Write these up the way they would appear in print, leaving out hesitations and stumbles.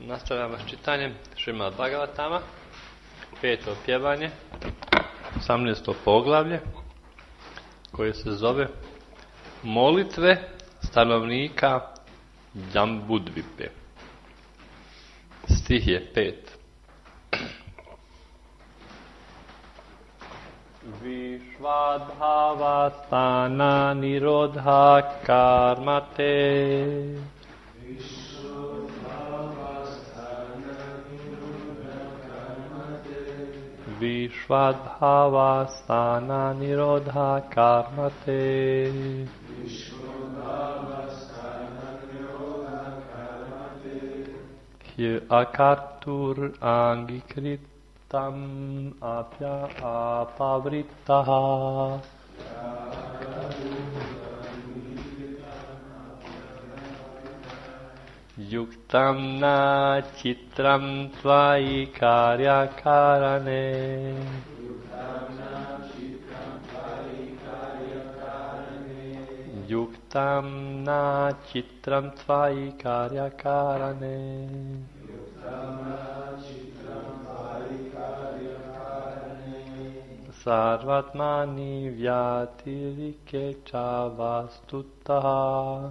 Nastavljamo s čitanjem Šrimad Bhagavatama, 5. pjevanje, 18. poglavlje, koje se zove Molitve stanovnika Jambudvipe. Stih je 5. Vishvadhavastana nirodha karmate Vishvadhavastana nirodha karmate Hye akartur angikritam apya apavrittaha Yuktam na chitram tvai karyakarane Yuktam na chitram tvai karyakarane Sarvatmani vyatirike chavastuttaha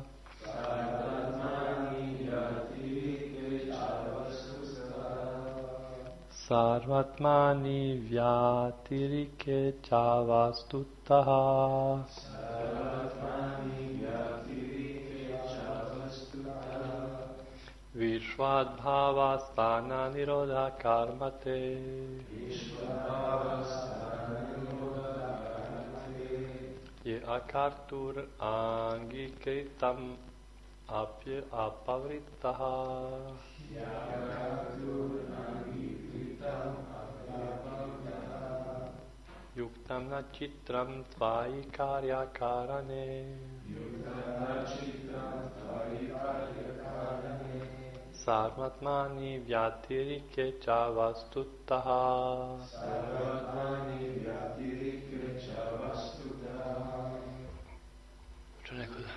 Sarvatmani vyatirike chavastuttaha Vishvadhavastana nirodha karmate Ye akartur angikritam apya apavrittaha Yuktam na chitram tvai karyakarane Sarvatmani vyatirike chavastuttaha Čo neko da?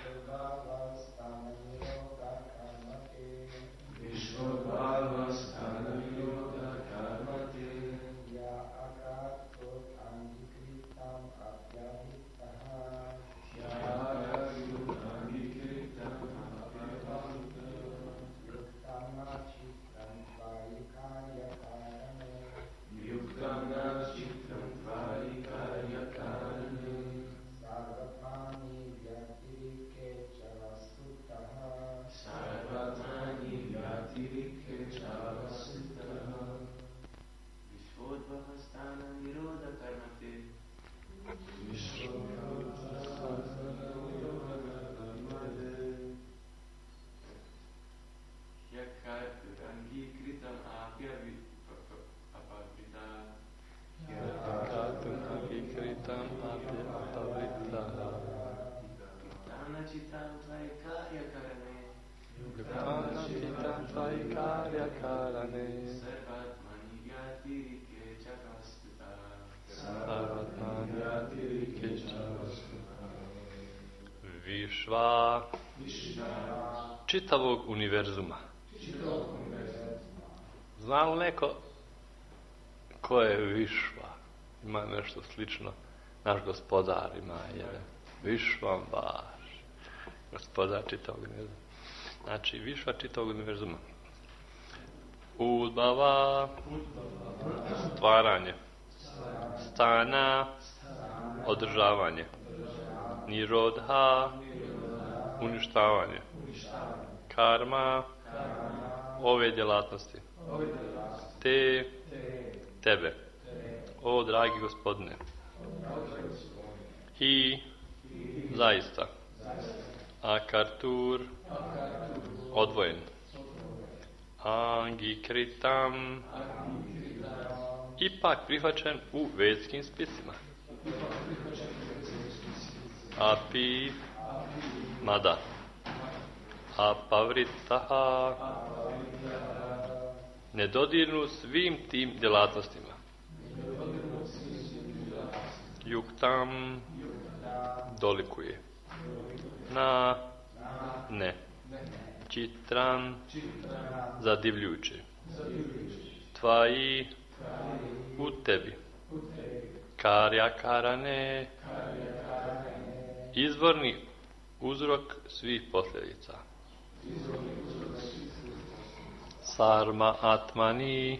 Višva čitavog univerzuma. Zna li neko ko je Višva? Ima nešto slično. Naš gospodar ima jedan. Višvam baš. Gospodar čitavog univerzuma. Znači, Višva čitavog univerzuma. Udbava, stvaranje. Stana, održavanje. Nirodha, uništavanje. Karma, ove djelatnosti. Tebe. O, dragi gospodine. I, zaista. Akartur, odvojen. Angikritam, ipak prihvaćen u vedskim spisima. Api, mada. Apavrittaha, nedodirnu svim tim djelatnostima. Yuktam, dolikuje. Na, ne. čitran, zadivljujuće. Tvaji u tebi, karja karane, izvorni uzrok svih posljedica. Sarma atmani,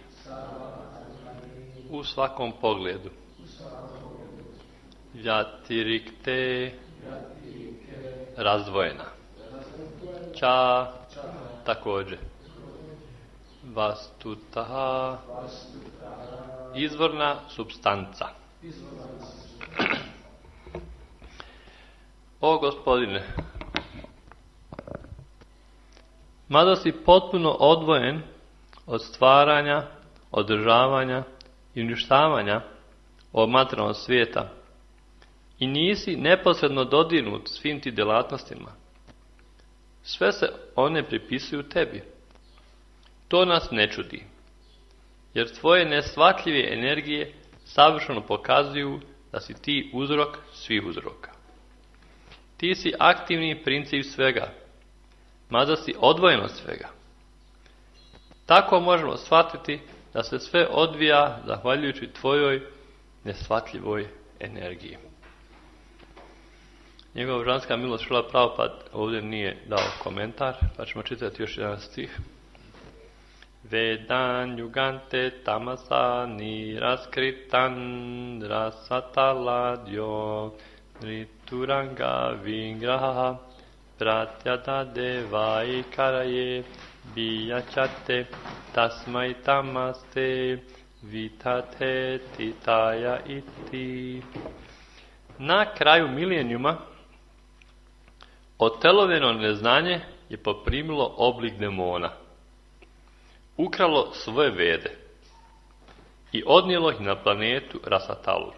u svakom pogledu. Vjatirikte, razdvojena. Ča, također. Vastutaha, izvorna supstanca. O Gospodine, mada si potpuno odvojen od stvaranja, održavanja i uništavanja ovog materijalnog svijeta i nisi neposredno dodirnut svim ti djelatnostima, sve se one pripisuju tebi. To nas ne čudi, jer tvoje neshvatljive energije savršeno pokazuju da si ti uzrok svih uzroka. Ti si aktivni princip svega, mada si odvojen od svega. Tako možemo shvatiti da se sve odvija zahvaljujući tvojoj neshvatljivoj energiji. Njegova božanska milost Šrila Prabhupada ovdje nije dao komentar, pa ćemo čitati još jedan stih. Vedan yugante tamasa niraskritan rasataladyo rituranga vingraha pratyada devai karaye biyachate tasmai tamaste vitate titaya iti. Na kraju milenijuma oteloveno neznanje je poprimilo oblik demona, ukralo svoje vede i odnijelo ih na planetu Rasatalu.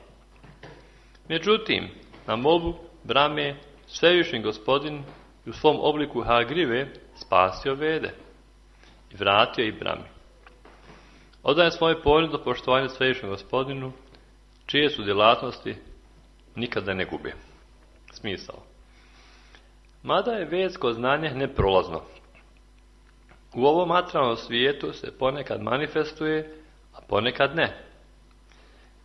Međutim, na molbu Brahme svevišnji Gospodin u svom obliku Hagrive spasio vede i vratio ih Brahmi. Odaje svoje ponizno poštovanje svevišnjem Gospodinu, čije su djelatnosti nikada ne gube smisao. Mada je vedsko znanje neprolazno, u ovom materijalnom svijetu se ponekad manifestuje, a ponekad ne.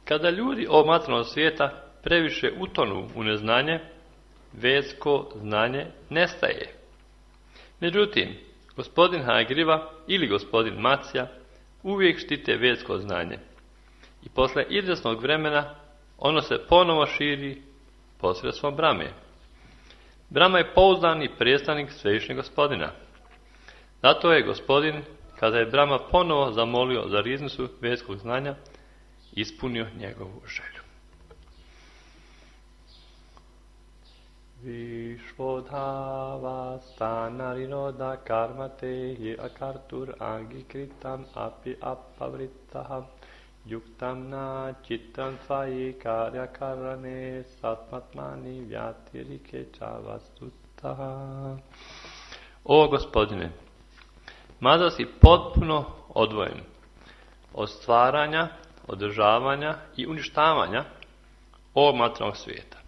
Kada ljudi ovog materijalnog svijeta previše utonu u neznanje, vedsko znanje nestaje. Međutim, gospodin Hagriva ili gospodin Matsja uvijek štite vedsko znanje i posle izvjesnog vremena ono se ponovo širi posredstvom Brahme. Brahma je pouzdani predstavnik svevišnjeg Gospodina. Zato je Gospodin, kada je Brahma ponovo zamolio za riznicu vedskog znanja, ispunio njegovu želju. Vishvodhava stanariroda karmate je akartur angikritam api apavritaha yuktam na chittam tvayi karya karane satmatmani vyatirike čavastutaha. O Gospodine, mada si potpuno odvojen od stvaranja, održavanja i uništavanja ovog materijalnog svijeta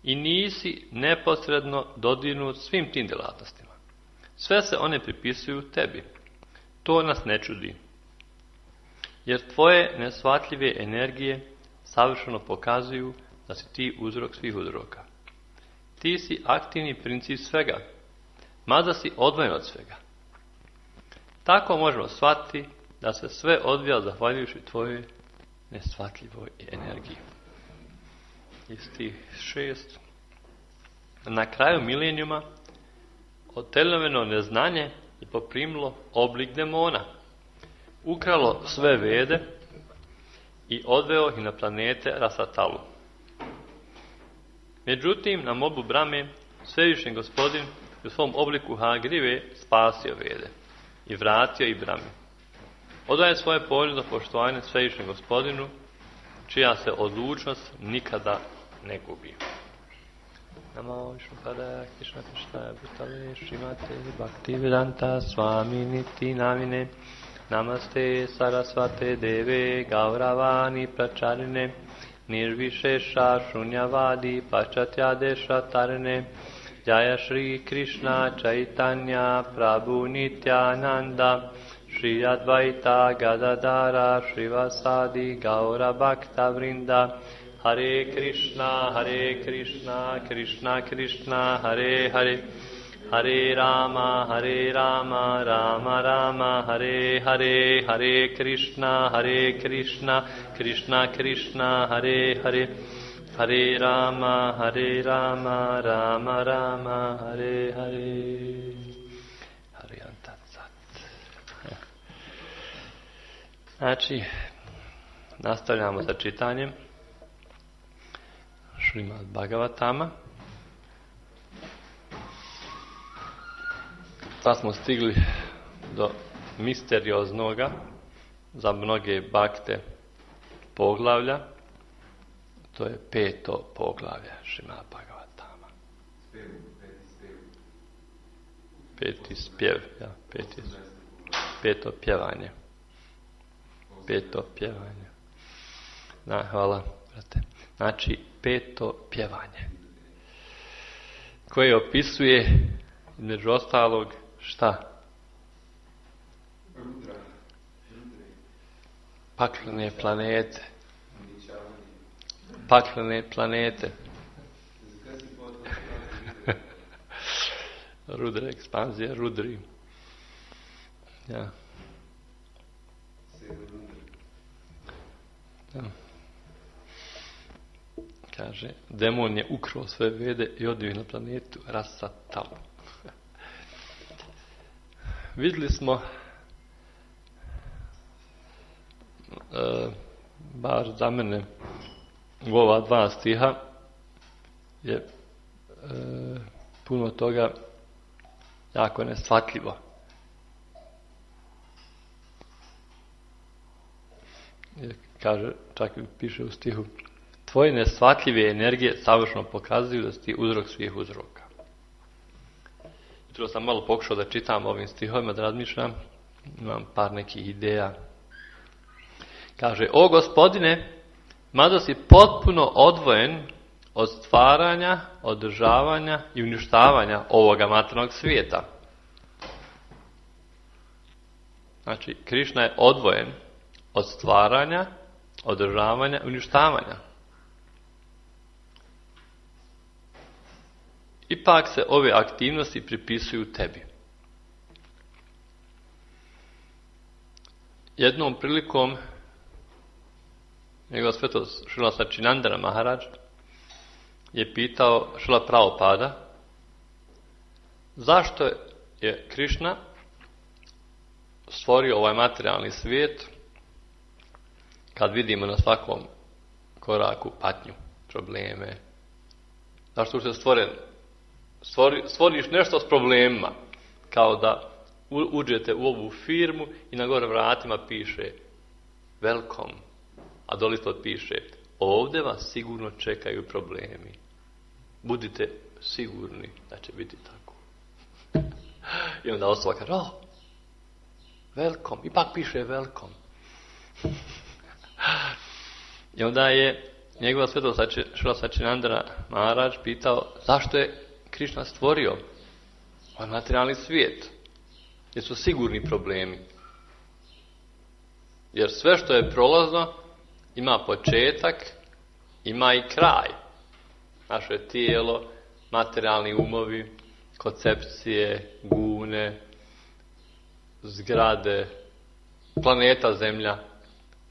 i nisi neposredno dodirnut svim tim djelatnostima, sve se one pripisuju tebi. To nas ne čudi, jer tvoje neshvatljive energije savršeno pokazuju da si ti uzrok svih uzroka. Ti si aktivni princip svega, mada si odvojen od svega. Tako možemo shvatiti da se sve odvija zahvaljujući tvojoj neshvatljivoj energiji. I stih 6. Na kraju milenijuma oteloveno neznanje je poprimilo oblik demona, ukralo sve vede i odveo ih na planete Rasatalu. Međutim, na molbu Brahme svevišnji Gospodin u svom obliku Hagrive spasio vede i vratio ih Brahmi. Odaje svoje ponizno poštovanje svevišnjem Gospodinu, čija se odlučnost nikada ne gubi. Namo Višnu Padaya Krishna Krishna Bhutale Srimate Bhaktivedanta Swami Niti Namine Namaste Sarasvate Deve Gauravani Pracharine Nirvishesha Shunyavadi Pachatyadesha Tarine Jaya Shri Krishna Chaitanya Prabhu Nityananda Shri Advaita Gadadara Shrivasadi Gaura Bhakta Vrinda Hare Krishna Krishna Krishna Hare Hare Hare Rama Rama Rama Hare Hare Hare Krishna Krishna Krishna Hare Hare Hare Rama Rama Rama Hare Hare. Hare Tatsat. Znači, nastavljamo sa čitanjem Šrimad Bhagavatama. Sad smo stigli do misterioznoga za mnoge bakte poglavlja. To je 5. poglavlje Šrimad Bhagavatama. Peti spjev, ja, peto pjevanje. Peto pjevanje. Hvala, brate. Znači, 5. pjevanje. Koje opisuje, među ostalog, šta? Paklene planete. Paklene planete. Rudra, ekspanzija, rudri. Ja. Ja. Kaže, demon je ukrao sve vede i odio na planetu Rasatalu. Vidjeli smo bar za mene u ova 2 stiha je puno toga jako neshvatljivo. Kaže, čak piše u stihu, tvoje neshvatljive energije savršeno pokazuju da si ti uzrok svih uzroka. Jutro sam malo pokušao da čitam ovim stihovima, da razmišljam, imam par nekih ideja. Kaže, o Gospodine, mada si potpuno odvojen od stvaranja, održavanja i uništavanja ovoga materijalnog svijeta. Znači, Krišna je odvojen od stvaranja, održavanja i uništavanja. Ipak se ove aktivnosti pripisuju tebi. Jednom prilikom njegova svetost Šrila Sačinandana Maharadž je pitao Šrila Prabhupada zašto je Krišna stvorio ovaj materijalni svijet kad vidimo na svakom koraku patnju, probleme. Zašto je stvoren? Stvoriš nešto s problemima, kao da uđete u ovu firmu i na gore vratima piše welcome, a dole ispod piše ovdje vas sigurno čekaju problemi. Budite sigurni da će biti tako. I onda osoba kaže, welcome, ipak piše welcome. I onda je njegova svetost Šrila Sačinandana Maharadž pitao zašto je Krišna stvorio ovaj materijalni svijet, jer su sigurni problemi. Jer sve što je prolazno ima početak, ima i kraj. Naše tijelo, materijalni umovi, koncepcije, gune, zgrade, planeta Zemlja,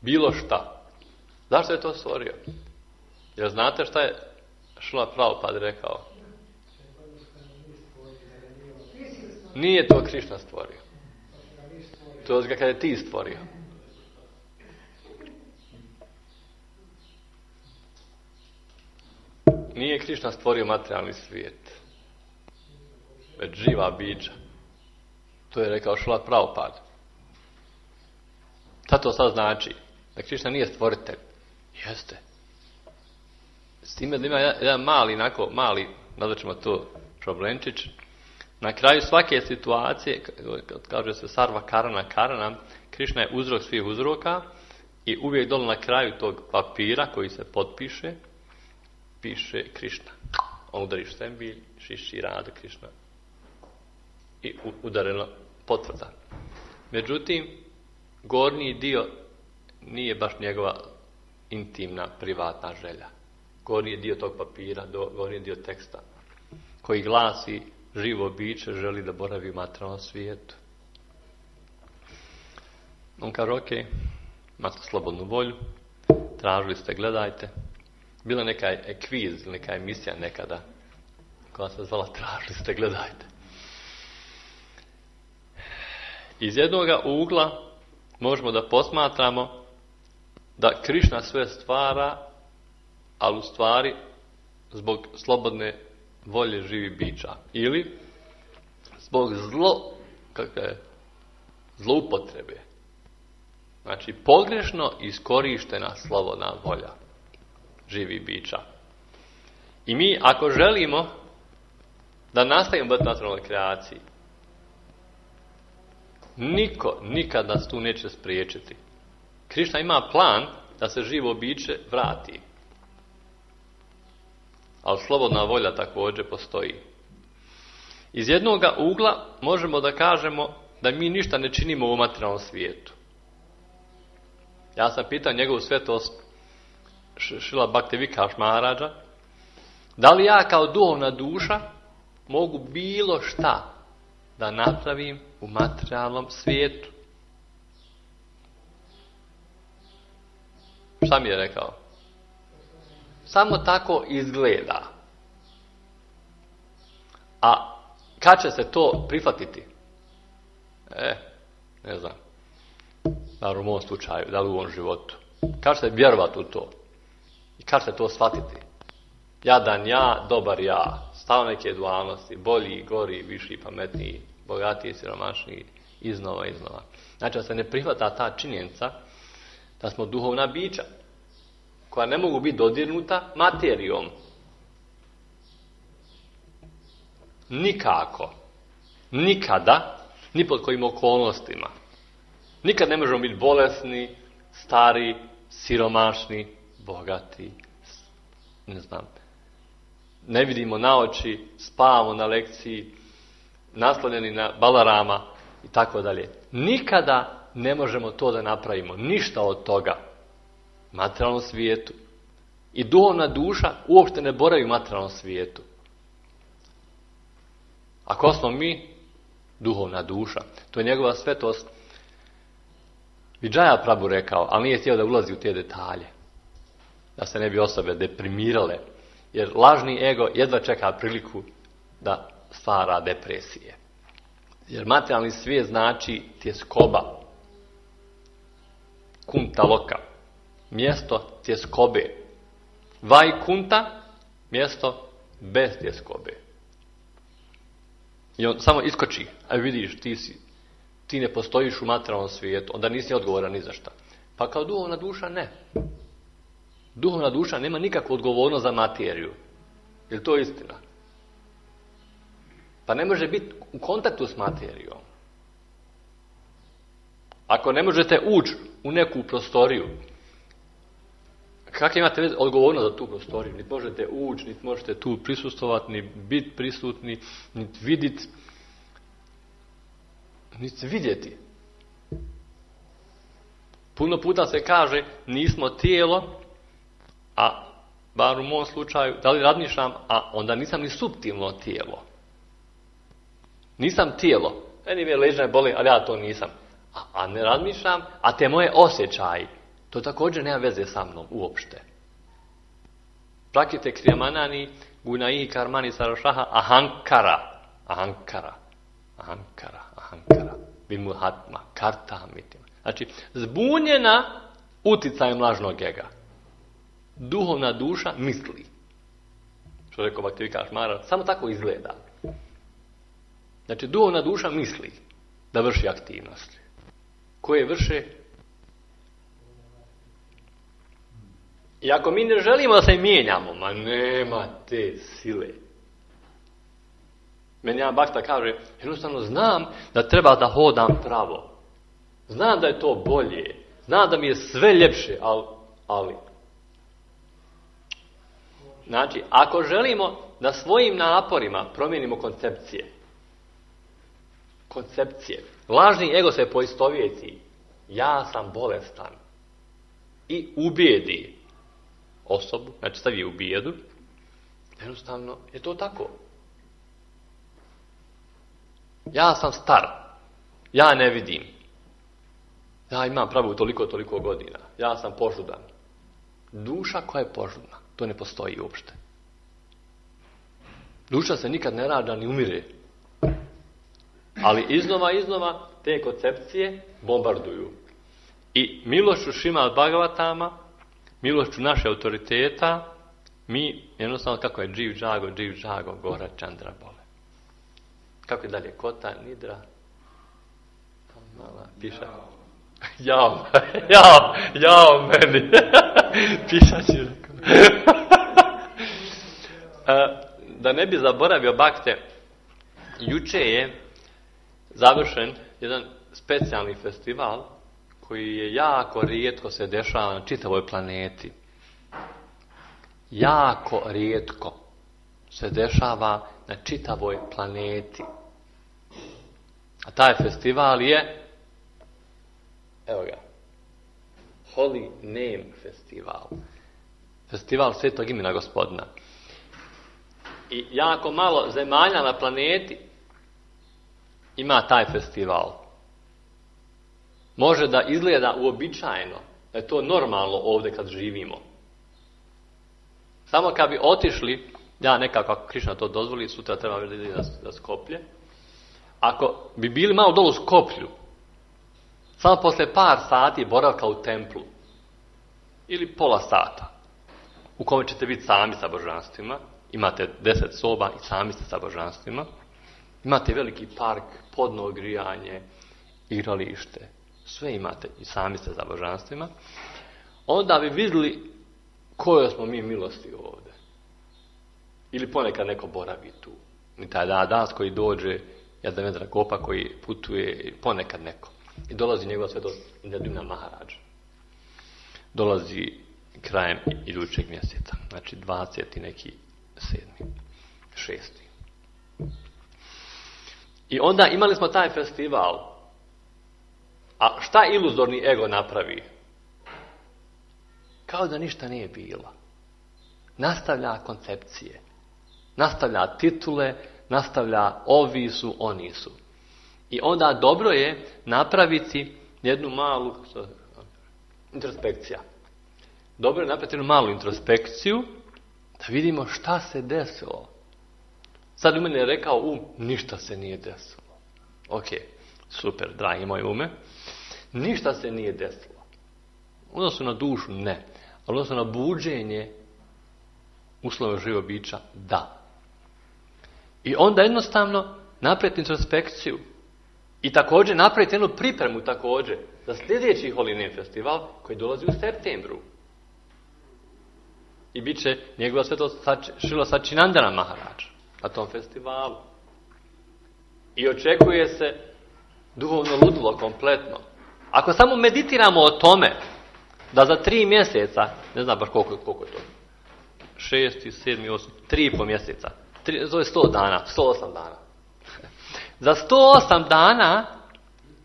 bilo šta. Zašto je to stvorio? Jer znate šta je Šrila Prabhupada rekao? Nije to Krišna stvorio. To je kada je ti stvorio. Nije Krišna stvorio materijalni svijet, već živa bića. To je rekao Šrila Prabhupada. Šta to sad znači? Da Krišna nije stvoritelj. Jeste. S time da ima jedan mali, nazvaćemo to problemčić. Na kraju svake situacije, kad kaže se sarva karana, Krišna je uzrok svih uzroka i uvijek dole na kraju tog papira koji se potpiše, piše Krišna. on udariš Sembilj, Šiši, Radha Krišna i udareno potvrda. Međutim, gornji dio nije baš njegova intimna, privatna želja. Gornji dio tog papira, gornji dio teksta, koji glasi živo biće želi da boravi u materijalnom svijetu. On kaže, ok, imate slobodnu volju, tražili ste, gledajte. Bila neka kviz, neka emisija nekada, koja se zvala tražili ste, gledajte. Iz jednoga ugla možemo da posmatramo da Krišna sve stvara, ali u stvari zbog slobodne volje živi bića. Ili zbog zloupotrebe. Znači, pogrešno iskorištena slobodna volja živi bića. I mi, ako želimo da nastavimo biti naturalnoj kreaciji, niko nikad nas tu neće spriječiti. Krišna ima plan da se živo biće vrati. Ali slobodna volja također postoji. Iz jednoga ugla možemo da kažemo da mi ništa ne činimo u materijalnom svijetu. Ja sam pitao njegovu svetost Šrila Bhaktivinoda Maharaja, da li ja kao duhovna duša mogu bilo šta da napravim u materijalnom svijetu? Šta mi je rekao? Samo tako izgleda. A kad će se to prihvatiti? Ne znam. Da li u mom slučaju, da li u ovom životu. Kad će se vjerovati u to? I kad će se to shvatiti? Jadan ja, dobar ja. Stav neke dualnosti. Bolji, gori, viši, pametniji, bogatiji, siromašniji. Iznova. Znači da se ne prihvata ta činjenica da smo duhovna bića koja ne mogu biti dodirnuta materijom. Nikako. Nikada. Ni pod kojim okolnostima. Nikad ne možemo biti bolesni, stari, siromašni, bogati, ne znam. Ne vidimo na oči, spavamo na lekciji, naslonjeni na Balarama i tako dalje. Nikada ne možemo to da napravimo. Ništa od toga. U materijalnom svijetu. I duhovna duša uopšte ne boravi u materijalnom svijetu. Ako smo mi duhovna duša, to je njegova svetost Vijaya Prabhu rekao, ali nije htio da ulazi u te detalje. Da se ne bi osobe deprimirale. Jer lažni ego jedva čeka priliku da stvara depresije. Jer materijalni svijet znači tjeskoba. Kunta loka. Mjesto tjeskobe. Vajkunta. Mjesto bez tjeskobe. I on samo iskoči. A vidiš, ti ne postojiš u materijalnom svijetu. Onda nisi odgovoran ni za šta. Pa kao duhovna duša ne. Duhovna duša nema nikakvu odgovornost za materiju. Je li to istina? Pa ne može biti u kontaktu s materijom. Ako ne možete ući u neku prostoriju, kako imate odgovornost za tu prostoriju? Niti možete ući, niti možete tu prisustovati, ni biti prisutni, niti vidjeti, niti vidjeti. Puno puta se kaže nismo tijelo, a bar u mom slučaju, da li razmišljam, a onda nisam ni suptilno tijelo. Nisam tijelo. Meni me leđa boli, ali ja to nisam. A ne razmišljam, a te moje osjećaji, to također nema veze sa mnom uopšte. Prakite kriyamanani gunayi karmani sarashaha ahankara. Vimuhatma, karta mitima. Znači, zbunjena uticajem lažnog ega. Duhovna duša misli. Što rekao Bhaktivinoda Maharaja, samo tako izgleda. Znači, duhovna duša misli da vrši aktivnosti. Koje vrše? I ako mi ne želimo da se mijenjamo, ma nema te sile. Meni jedan bhakta kaže, jednostavno znam da treba da hodam pravo. Znam da je to bolje. Znam da mi je sve ljepše, ali. Znači, ako želimo da svojim naporima promijenimo koncepcije. Koncepcije. Lažni ego se poistovjeti. Ja sam bolestan. I ubijedi osobu, znači stavi u bijedu. Jednostavno je to tako. Ja sam star. Ja ne vidim. Ja imam pravu toliko godina. Ja sam požudan. Duša koja je požudna, to ne postoji uopšte. Duša se nikad ne rađa ni umire. Ali iznova te koncepcije bombarduju. I milošću Šrimad Bhagavatama, milošću naše autoriteta, mi jednostavno kako je dživ džago, gora Čandra bole. Kako je dalje? Kota, nidra, mala, piša. Jao meni. Pišač je rekao. Da ne bi zaboravio bakte, juče je završen jedan specijalni festival koji je jako rijetko se dešava na čitavoj planeti. Jako rijetko se dešava na čitavoj planeti. A taj festival je, evo ga, Holy Name Festival. Festival Svetog imena Gospodina. I jako malo zemalja na planeti ima taj festival. Može da izgleda uobičajeno, da je to normalno ovdje kad živimo. Samo kad bi otišli, ja nekako ako Krišna to dozvoli, sutra treba da ide na Skoplje. Ako bi bili malo dolu u Skoplju, samo posle par sati boravka u templu, ili pola sata, u kome ćete biti sami sa božanstvima, imate 10 soba i sami ste sa božanstvima, imate veliki park, podno grijanje, igralište, sve imate i sami ste sa božanstvima, onda bi vidjeli koje smo mi milosti ovdje. Ili ponekad neko boravi tu. I taj danas koji dođe, Jadavendra Gopa koji putuje, ponekad neko. I dolazi njegova svetost Indradumna Maharaj. Dolazi krajem idućeg mjeseca. Znači 20. neki 7. 6. I onda imali smo taj festival. A šta iluzorni ego napravi? Kao da ništa nije bilo. Nastavlja koncepcije. Nastavlja titule, nastavlja ovi su, oni su. I onda dobro je napraviti jednu malu introspekciju. Dobro je napraviti jednu malu introspekciju da vidimo šta se desilo. Sad u mene je rekao ništa se nije desilo. Ok, super, dragi moj ume. Ništa se nije desilo. Odnosno na dušu ne. Odnosno na buđenje uslova živog bića da. I onda jednostavno napraviti introspekciju. I također napraviti jednu pripremu također za sljedeći Holy Name festival koji dolazi u septembru. I bit će njegova svetost Šrila Sačinandana Maharaj na tom festivalu. I očekuje se duhovno ludilo kompletno. Ako samo meditiramo o tome da za 3 mjeseca, ne znam baš koliko je to, 6, 7, 8, 3,5 mjeseca, to je 100 dana, 108 dana. Za 108 dana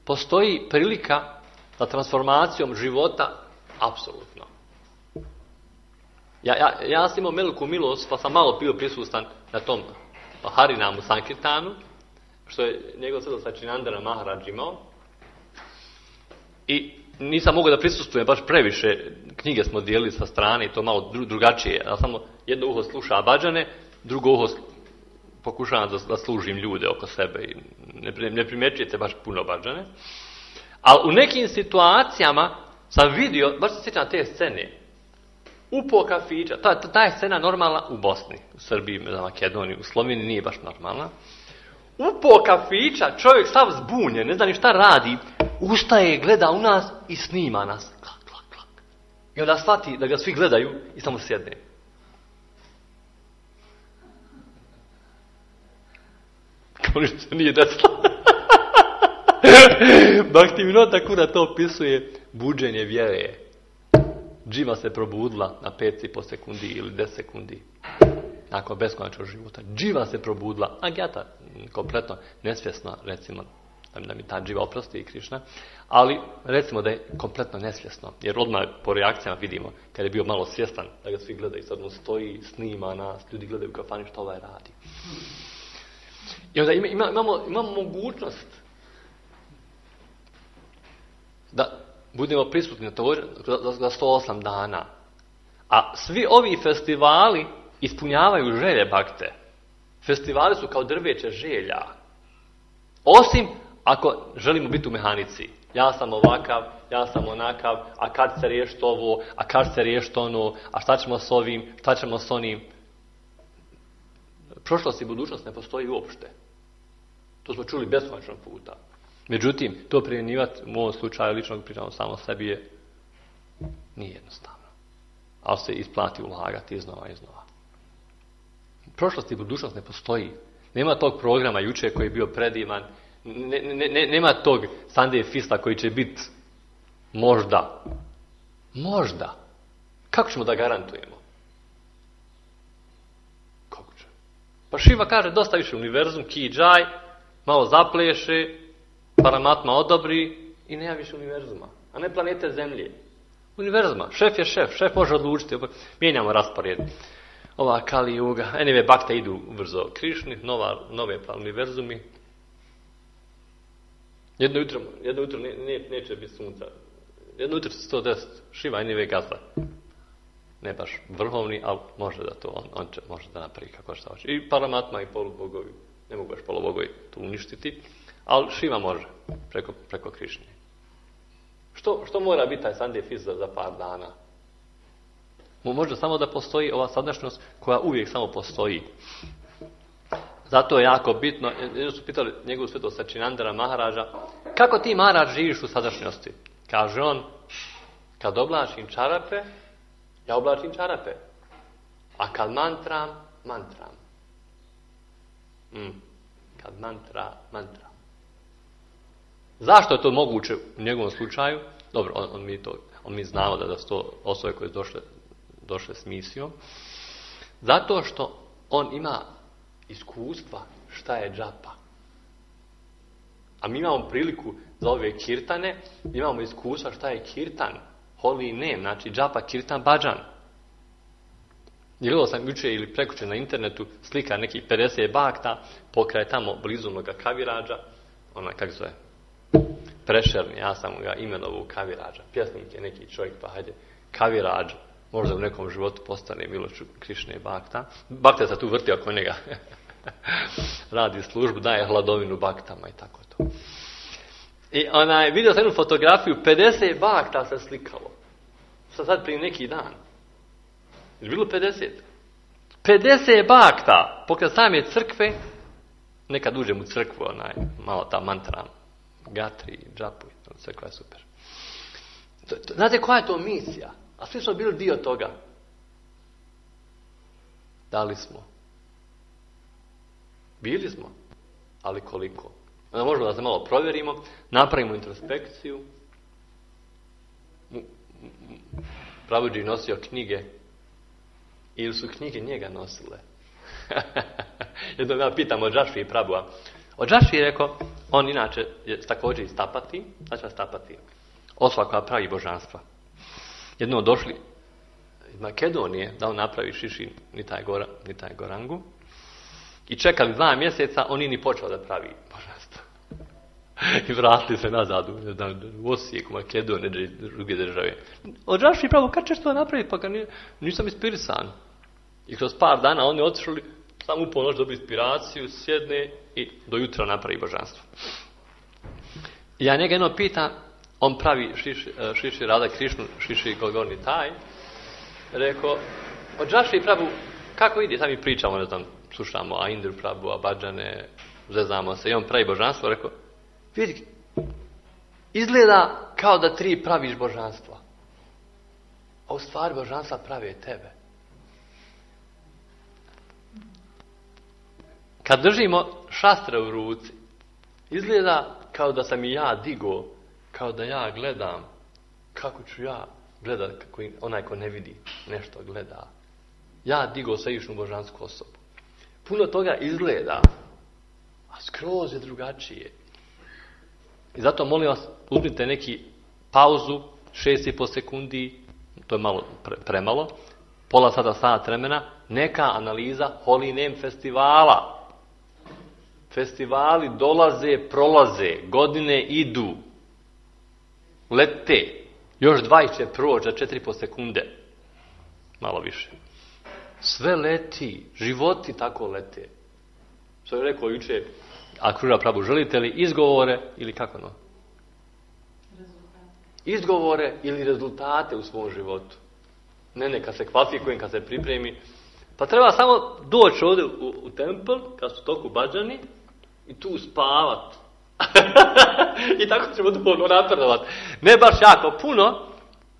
postoji prilika za transformacijom života apsolutno. Ja sam imao veliku milost, pa sam malo bio prisutan na tom Harinamu Sankirtanu, što je njegov svetost Sačinandana Maharaj imao. I nisam mogao da prisustvujem baš previše, knjige smo dijelili sa strane i to malo drugačije. Ja samo jedno uho sluša badžane, drugo uho pokušavam da služim ljude oko sebe i ne primjećujete baš puno badžane. Ali u nekim situacijama sam vidio, baš se sjećam te scene, upo kafića, ta je scena normalna u Bosni, u Srbiji, u Makedoniji, u Sloveniji nije baš normalna. Upo kafića, čovjek sav zbunjen, ne zna ni šta radi, ustaje, gleda u nas i snima nas. Klak, klak, klak. I onda shvati da ga svi gledaju i samo sjedne. Kao ništa se nije desilo. Bhaktivinoda Thakura to opisuje buđenje vjere. Dživa se probudila na 5,5 sekundi ili 10 sekundi. nakon beskonačnog života. Dživa se probudila, Agyata kompletno nesvjesno, recimo, da mi ta dživa oprosti i Krišna, ali recimo da je kompletno nesvjesno, jer odmah po reakcijama vidimo, kad je bio malo svjestan, da ga svi gledaju, sad on stoji, snima nas, ljudi gledaju u kafani što ovaj radi. I onda imamo mogućnost da budemo prisutni na to za 108 dana. A svi ovi festivali ispunjavaju želje bakte. Festivali su kao drveće želja. Osim ako želimo biti u mehanici. Ja sam ovakav, ja sam onakav, a kad se riješiti ovo, a kad se riješiti ono, a šta ćemo s ovim, šta ćemo s onim. Prošlost i budućnost ne postoji uopšte. To smo čuli beskonačno puta. Međutim, to primjenjivati u ovom slučaju ličnog pričamo samo sebi je nije jednostavno. Ali se isplati ulagati iznova i iznova. Prošlost i budućnost ne postoji. Nema tog programa juče koji je bio predivan. Nema tog Sunday Fista koji će biti možda. Možda. Kako ćemo da garantujemo? Kako će? Pa Šiva kaže dosta više univerzum, ki džaj, malo zapleše, Paramatma odobri i nema više univerzuma. A ne planete Zemlje. Univerzuma. Šef je šef. Šef može odlučiti. Mijenjamo raspored. Ova Kali Juga. Anyway, bakte idu brzo Krišni. Nove univerzumi. Jedno jutro neće biti sunca. Jedno jutro će 110. Šiva anyway gazda. Ne baš vrhovni, ali može da to on može da napravi kako šta hoće. I Paramatma i polubogovi. Ne mogu baš polubogovi to uništiti. Ali Šiva može preko Krišnje. Što mora biti taj Sunday Fist za par dana? Može samo da postoji ova sadašnjost koja uvijek samo postoji. Zato je jako bitno, jedno su pitali njegovu svetost Sačinandara Maharađa, kako ti Maharađ živiš u sadašnjosti? Kaže on, kad oblačim čarape, ja oblačim čarape. A kad mantram. Kad mantra. Zašto je to moguće u njegovom slučaju? Dobro, mi znamo da su to osobe koje su došle s misijom. Zato što on ima iskustva šta je džapa. A mi imamo priliku za ove kirtane, imamo iskustva šta je kirtan, holy name, znači džapa, kirtan, bhajan. Gledao sam juče ili prekuče na internetu slika nekih 50 bakta pokraj tamo blizu onoga Kaviradža, kako zove, Prešerni, ja sam ga imenovao Kaviradža. Pjesnik je neki čovjek, pa hajde, Kaviradža, možda u nekom životu postane Milošu Krišne bakta. Bakta se tu vrti oko njega. Radi službu, daje hladovinu baktama i tako to. I vidio sam jednu fotografiju, 50 bakta se slikalo. Sad prije neki dan. Je bilo 50? 50 bakta pokraj same crkve, nekad uđem u crkvu, malo ta mantra, gatri, džapu, crkva je super. Znate koja je to misija? A svi smo bili dio toga. Da li smo? Bili smo, ali koliko? Onda možemo da se malo provjerimo, napravimo introspekciju. Prabhuji nosio knjige, ili su knjige njega nosile? Jednom ja pitam od Džašvi i Prabhuja. Od Džašvi je rekao, on inače je također iz Tapati, znači Tapati, osoba koja pravi božanstva. Jednom došli iz Makedonije da on napravi Šiši Nitaj Gorangu i čekali 2 mjeseca, on nije ni počeo da pravi božanstvo. I vratili se nazad u Osijek, u Makedonije, druge države. Od Džašvi Prabhu, kad ćeš to napraviti? Pa nisam inspirisan. I kroz par dana oni otišli, samo u ponoć dobili inspiraciju, sjedne i do jutra napravi božanstvo. I ja njega jedno pitam, on pravi Šiši Rada Krišnu, Šiši Gorni Taj, rekao, od Džašvi Prabhu, kako ide? Sad mi pričamo, ne znam, slušamo Aindru Prabhu, a Bhajane, zezamo se, i on pravi božanstvo, rekao, vidi, izgleda kao da 3 praviš božanstva. A u stvari božanstva prave tebe. Kad držimo šastre u ruci, izgleda kao da sam i ja digo, kao da ja gledam, kako ću ja gledati kako onaj ko ne vidi nešto gleda. ja digao svevišnju božansku osobu. Puno toga izgleda, a skroz je drugačije. I zato molim vas, uzmite neki pauzu, 6,5 sekundi, to je malo premalo, pola sata vremena, neka analiza Holy Name festivala. Festivali dolaze, prolaze, godine idu, lete, još 20 će proći za 4,5 sekunde, malo više. Sve leti, životi tako lete. Što je rekao juče, Akrura Prabhu, želite li izgovore ili kako no? Izgovore ili rezultate u svom životu. Ne, kad se kvalifikujem, kad se pripremi. Pa treba samo doći ovdje u templ, kad su toliko bađani, i tu spavat. I tako ćemo duhovno napredovati. Ne baš jako puno,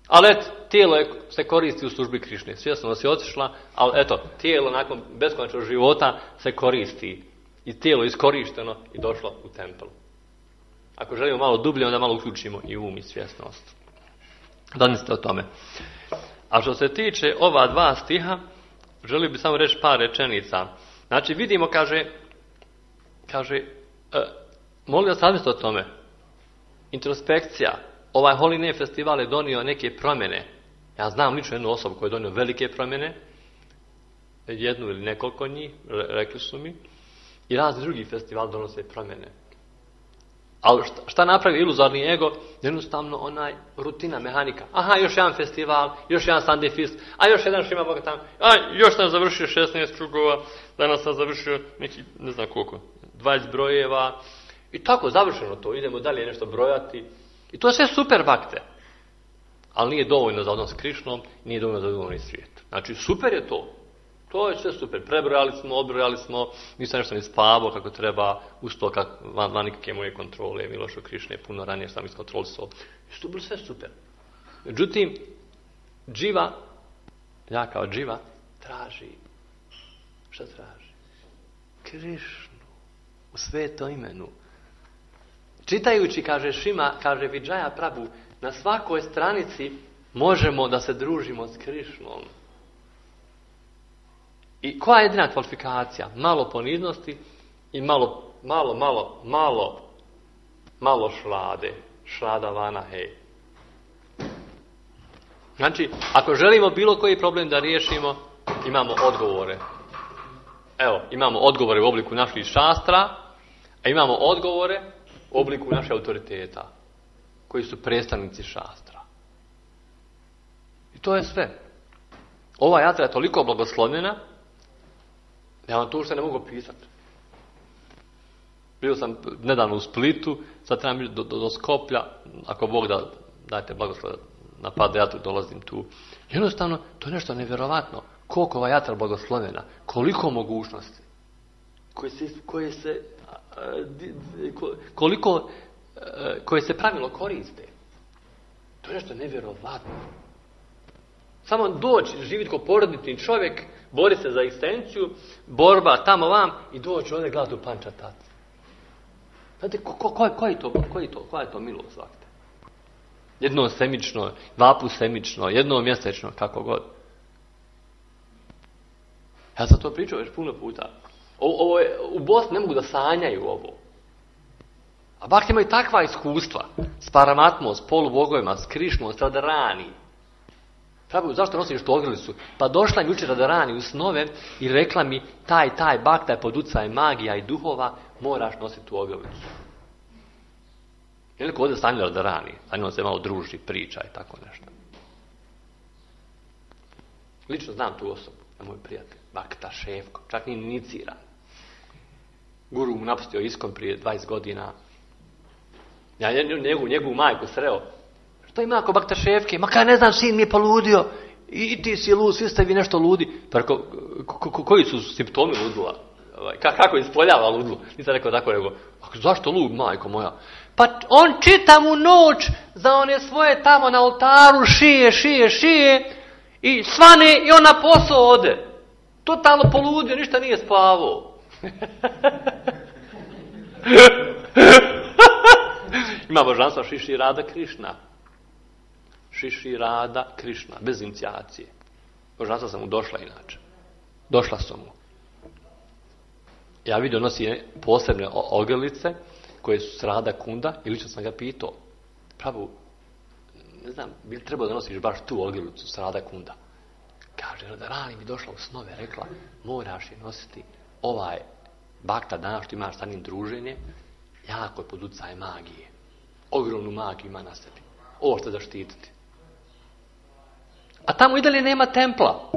ali tijelo se koristi u službi Krišne. Svjesno si otišla, ali eto, tijelo nakon beskonačnog života se koristi. I tijelo iskorišteno i došlo u templ. Ako želimo malo dublje, onda malo uključimo i um i svjesnost. Zamislite o tome. A što se tiče ova 2 stiha, želio bih samo reći par rečenica. Znači, vidimo, kaže, molim vas razmislite o tome. Introspekcija. Ovaj Holy Name festival je donio neke promjene. Ja znam lično jednu osobu koja je donio velike promjene. Jednu ili nekoliko njih, rekli su mi. I razni drugi festivali donose promjene. Ali šta napravi iluzorni ego? Jednostavno rutina, mehanika. Aha, još jedan festival, još jedan Sunday Feast, a još jedan Šima Boga tamo. A još sam završio 16 krugova, danas sam završio neki, ne znam koliko, 20 brojeva. I tako, završeno to. Idemo dalje nešto brojati. I to je sve super bakte. Ali nije dovoljno za odnos s Krišnom, nije dovoljno za duhovni svijet. Znači, super je to. To je sve super. Prebrojali smo, odbrojali smo, nisam nešto ni spavao kako treba, uz to van nikakve moje kontrole, Milošo Krišne, puno ranije sam iskontrolisao. I to bilo sve super. Međutim, ja kao dživa, traži. Šta traži? Krišnu. U svetom imenu. Čitajući, kaže Vidžaja Prabhu, na svakoj stranici možemo da se družimo s Krišnom. I koja je jedina kvalifikacija? Malo poniznosti i malo šlade. Šlada vana hej. Znači, ako želimo bilo koji problem da riješimo, imamo odgovore. Evo, imamo odgovore u obliku naših šastra, a imamo odgovore u obliku naših autoriteta, koji su predstavnici šastra. I to je sve. Ova jatra je toliko blagoslovljena, ja vam to ušte ne mogu pisati. Bio sam nedavno u Splitu, sad trebam ići do Skoplja, ako Bog da dajte blagoslov na Padejatru, dolazim tu. Jednostavno, to je nešto nevjerovatno. Koliko ova jatra blagoslovljena, koliko mogućnosti, koje se pravilno koriste. To je nešto nevjerovatno. Samo doći, živjeti kao porodični čovjek, bori se za egzistenciju, borba tamo vam i doći ovdje gledati u pančatat. Znate, koja je to milost svakte? Jednom semično, 2 puta semično, jednom mjesečno, kako god. Ja sam to pričao već puno puta. U Bosni ne mogu da sanjaju ovo. A bak imaju takva iskustva s Paramatmom, s polubogovima, s Krišnom, s Radharani. Prabhu, zašto nosiš tu ogrlicu? Pa došla mi jučer Radharani u snove i rekla mi taj bakta je pod utjecajem magija i duhova, moraš nositi tu ogrlicu. Je li ko ovdje sanjao Radharani? Sa njom se malo druži, priča i tako nešto. Lično znam tu osobu, na moj prijatelj, Bakta Šefko, čak nije iniciran. Guru mu napustio Iskon prije 20 godina. Ja njegovu majku sreo. Što ima ako Bakta Šefke? Ma kaj ne znam, sin mi je poludio. I ti si lud, svi ste vi nešto ludi. Pa rekao, koji su simptomi ludila? Kako ispoljava ludlu? Nisam rekao tako, nego, zašto lud, majko moja? Pa on čita mu noć za one svoje tamo na oltaru, šije i svane i on na posao ode. Totalno poludio, ništa nije spavao. Ima božanstva Šiši Rada Krišna. Šiši Rada Krišna, bez inicijacije. Božanstva sam mu došla inače. Došla su mu. Ja vidio nosi posebne ogrlice koje su srada kunda i lično sam ga pitao. Pravo, ne znam, bi li trebao da nosiš baš tu ogrlicu srada kunda? Kaže, da rani mi došla u snove, rekla, moraš je nositi ovaj bakta danas što imaš sa njim druženje, jako je pod utjecajem magije. Ogromnu magiju ima na sebi. Ovo što zaštititi. A tamo i dalje nema templa.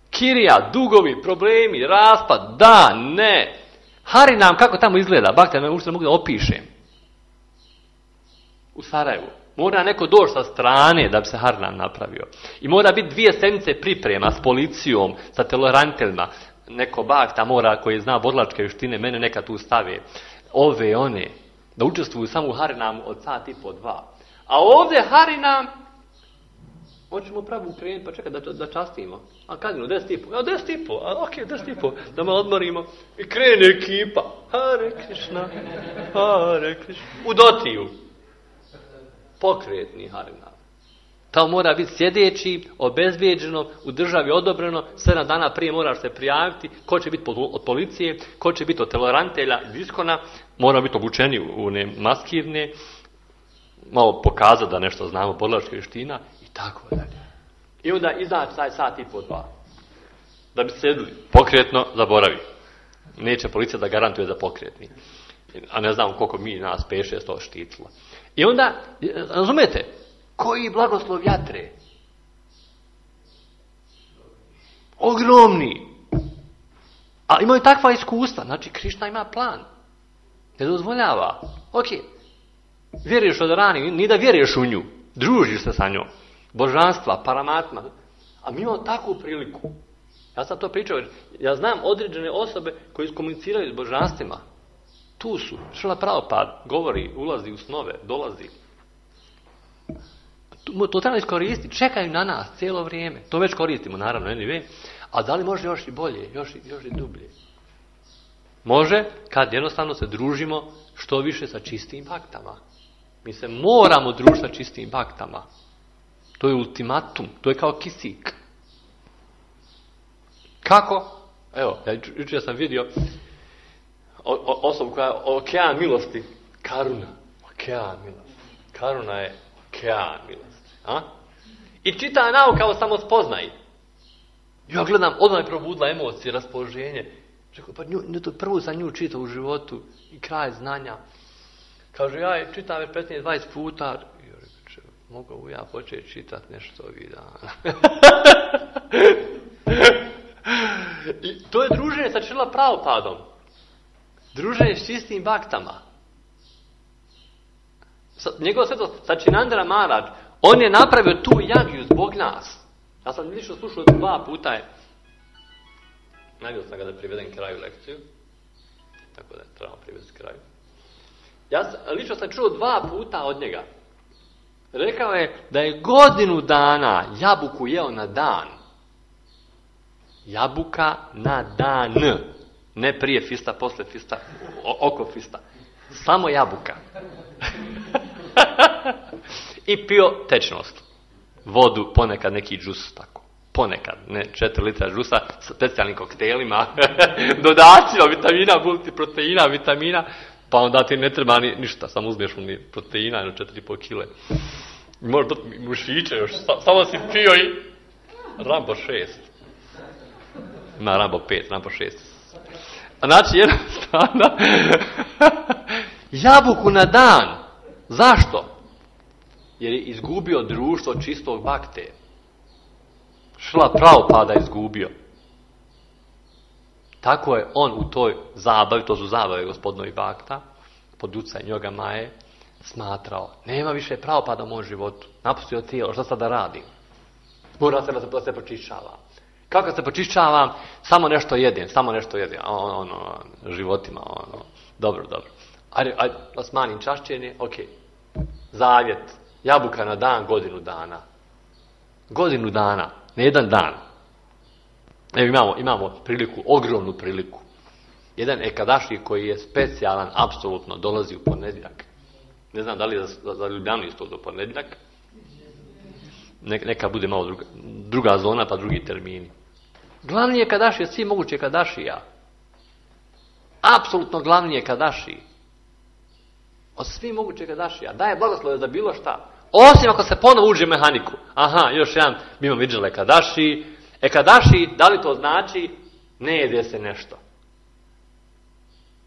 Kirija, dugovi, problemi, raspad, da, ne. Harinam, kako tamo izgleda? Bakta me uopšte ne mogu da opišem. U Sarajevu. Mora neko doći sa strane da bi se Harinam napravio. I mora biti 2 sedmice priprema s policijom, sa tolerantelima. Neko bakta mora koji zna borilačke vještine, mene neka tu stave. Ove, one. Da učestvuju samo u Harinamu od sat i po 2. A ovdje Harinam, hoćemo pravo krenuti, pa čekaj da častimo. A kad je 10:30? 10:30, a ok, 10:30, da me odmorimo. I krene ekipa. Hare Krišna, Hare Krišna. U Dotiju. Pokretni Harinam. Tamo mora biti sjedeći, obezbijeđeno, u državi odobreno, 7 dana prije moraš se prijaviti, ko će biti od policije, ko će biti od tolerantelja iz Iskona, mora biti obučeni u one maskirne, malo pokazati da nešto znamo, borilačke vještina i tako dalje. I onda izaći taj sat i po 2. Da bi sedli pokretno, zaboravi. Neće policija da garantuje za pokretni. A ne znam koliko mi nas 5-6 to štitilo. I onda, razumete, koji blagoslov jatre? Ogromni. A imaju takva iskustva. Znači, Krišna ima plan. Ne dozvoljava. Ok, vjeruješ od rani, ni da vjeruješ u nju. Družiš se sa njom. Božanstva, paramatma. A mi imamo takvu priliku. Ja sam to pričao. Ja znam određene osobe koji komuniciraju s božanstvima. Tu su. Šrila Prabhupada govori, ulazi u snove, dolazi. To treba iskoristiti. Čekaju na nas cijelo vrijeme. To već koristimo, naravno, anyway. A da li može još i bolje, još i dublje? Može kad jednostavno se družimo što više sa čistim baktama. Mi se moramo družiti sa čistim baktama. To je ultimatum. To je kao kisik. Kako? Evo, jučer sam vidio osobu koja je okean milosti. Karuna. Okean milosti. Karuna je okean milosti. A? I čita nauka o samospoznaji. Ja gledam, odmah je probudila emocije, raspoloženje. Rekao, pa prvo sam nju čitao u životu i kraj znanja. Kaže, ja je čitam već 15-20 puta. I ja rekao, mogu ja početi čitati nešto ovih dana. I to je druženje sa Šrila Prabhupadom. Druženje s čistim baktama. Njegov sveto Sačinandra Maharaj, on je napravio tu jagiju zbog nas. Ja sam lično slušao 2 puta. Nagio sam ga da privedem kraju lekciju. Tako da trebamo privesti kraju. Lično sam čuo 2 puta od njega. Rekao je da je godinu dana jabuku jeo na dan. Jabuka na dan. Ne prije fista, posle fista, oko fista. Samo jabuka. I pio tečnost. Vodu, ponekad neki džus, tako. Ponekad, ne 4 litra džusa sa specijalnim koktelima, dodacima, vitamina, multiproteina, vitamina, pa onda ti ne treba ništa, samo uzmeš ni proteina, 4,5 kile. Možda mušiće još, samo si pio i Rambo 6. Ima Rambo 5, Rambo 6. Znači, jednostavno, jabuku na dan. Zašto? Jer je izgubio društvo čistog bakte. Šrila Prabhupada izgubio. Tako je on u toj zabavi, to su zabave gospodinovi bakta, pod utjecajem Yoga Maje, smatrao, nema više Prabhupada u mom životu. Napustio tijelo, šta sad da radim? Mora se da se počišćava. Kako se počišćavam? Samo nešto jedem. Životima, Dobro. Ajde, da smanjim čašćenje, ok. Zavjet, jabuka na dan, godinu dana. Godinu dana, ne jedan dan. Evo imamo priliku, ogromnu priliku. Jedan ekadaši koji je specijalan, apsolutno dolazi u ponedjeljak. Ne znam da li je za Ljubljanu isto do ponedjeljak. Neka bude malo druga zona, pa drugi termini. Glavni je kadašija, svi moguće kadašija. Apsolutno glavni je kadaši. Od svi moguće kadašija. Daje blagoslove za bilo šta. Osim ako se ponovo uđe u mehaniku. Aha, još jedan, mi imamo viđale kadaši. Kadaši, da li to znači, ne jede se nešto.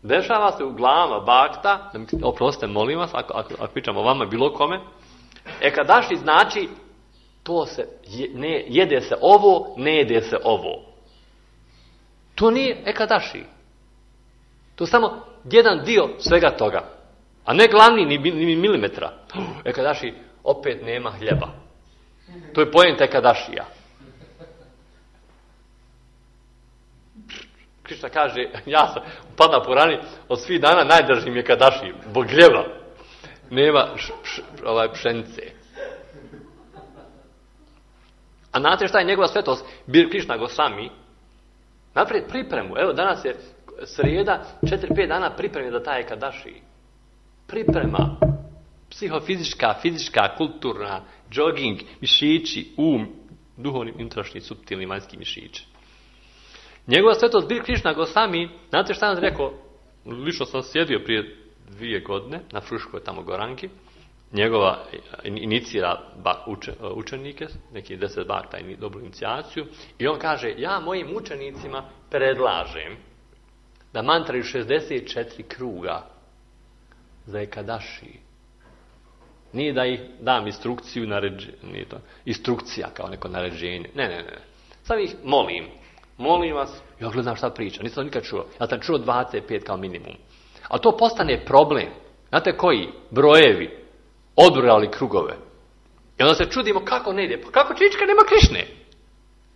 Dešava se u glavama bakta, oprostite, molim vas, ako pričamo o vama, bilo kome, kadaši znači, to se, jede se ovo, ne jede se ovo. To nije kadaši. To je samo jedan dio svega toga. A ne glavni ni milimetra. Kadaši, opet nema hljeba. To je poenta kadašija. Krišna kaže, ja sam upadna po rani, od svih dana najdraži mi je kadaši, zbog hljeba. Nema pšenice. A znate šta je njegova svetost? Krišna Gosvami naprijed pripremu. Evo, danas je srijeda, 4-5 dana pripreme za taj kadaši. Priprema. Psihofizička, fizička, kulturna, jogging, mišići, duhovni, unutrašnji, suptilni, vanjski mišići. Njegova svetost Bir Krišna Gosvami, znate šta sam rekao? Lično sam sjedio prije 2 godine na Fruškoj tamo Goranki. Njegova inicira učenike, neki 10 bakta i dobru inicijaciju. I on kaže, ja mojim učenicima predlažem da mantraju 64 kruga za ekadaši. Nije da ih dam instrukciju, nije to instrukcija kao neko naređenje. Ne. Sad ih molim. Molim vas, ja gledam šta priča, nisam nikad čuo. Ja sam čuo 25 kao minimum. Ali to postane problem. Znate koji? Brojevi. Odbrojali krugove. I onda se čudimo kako ne ide. Pa kako Čička nema Krišne?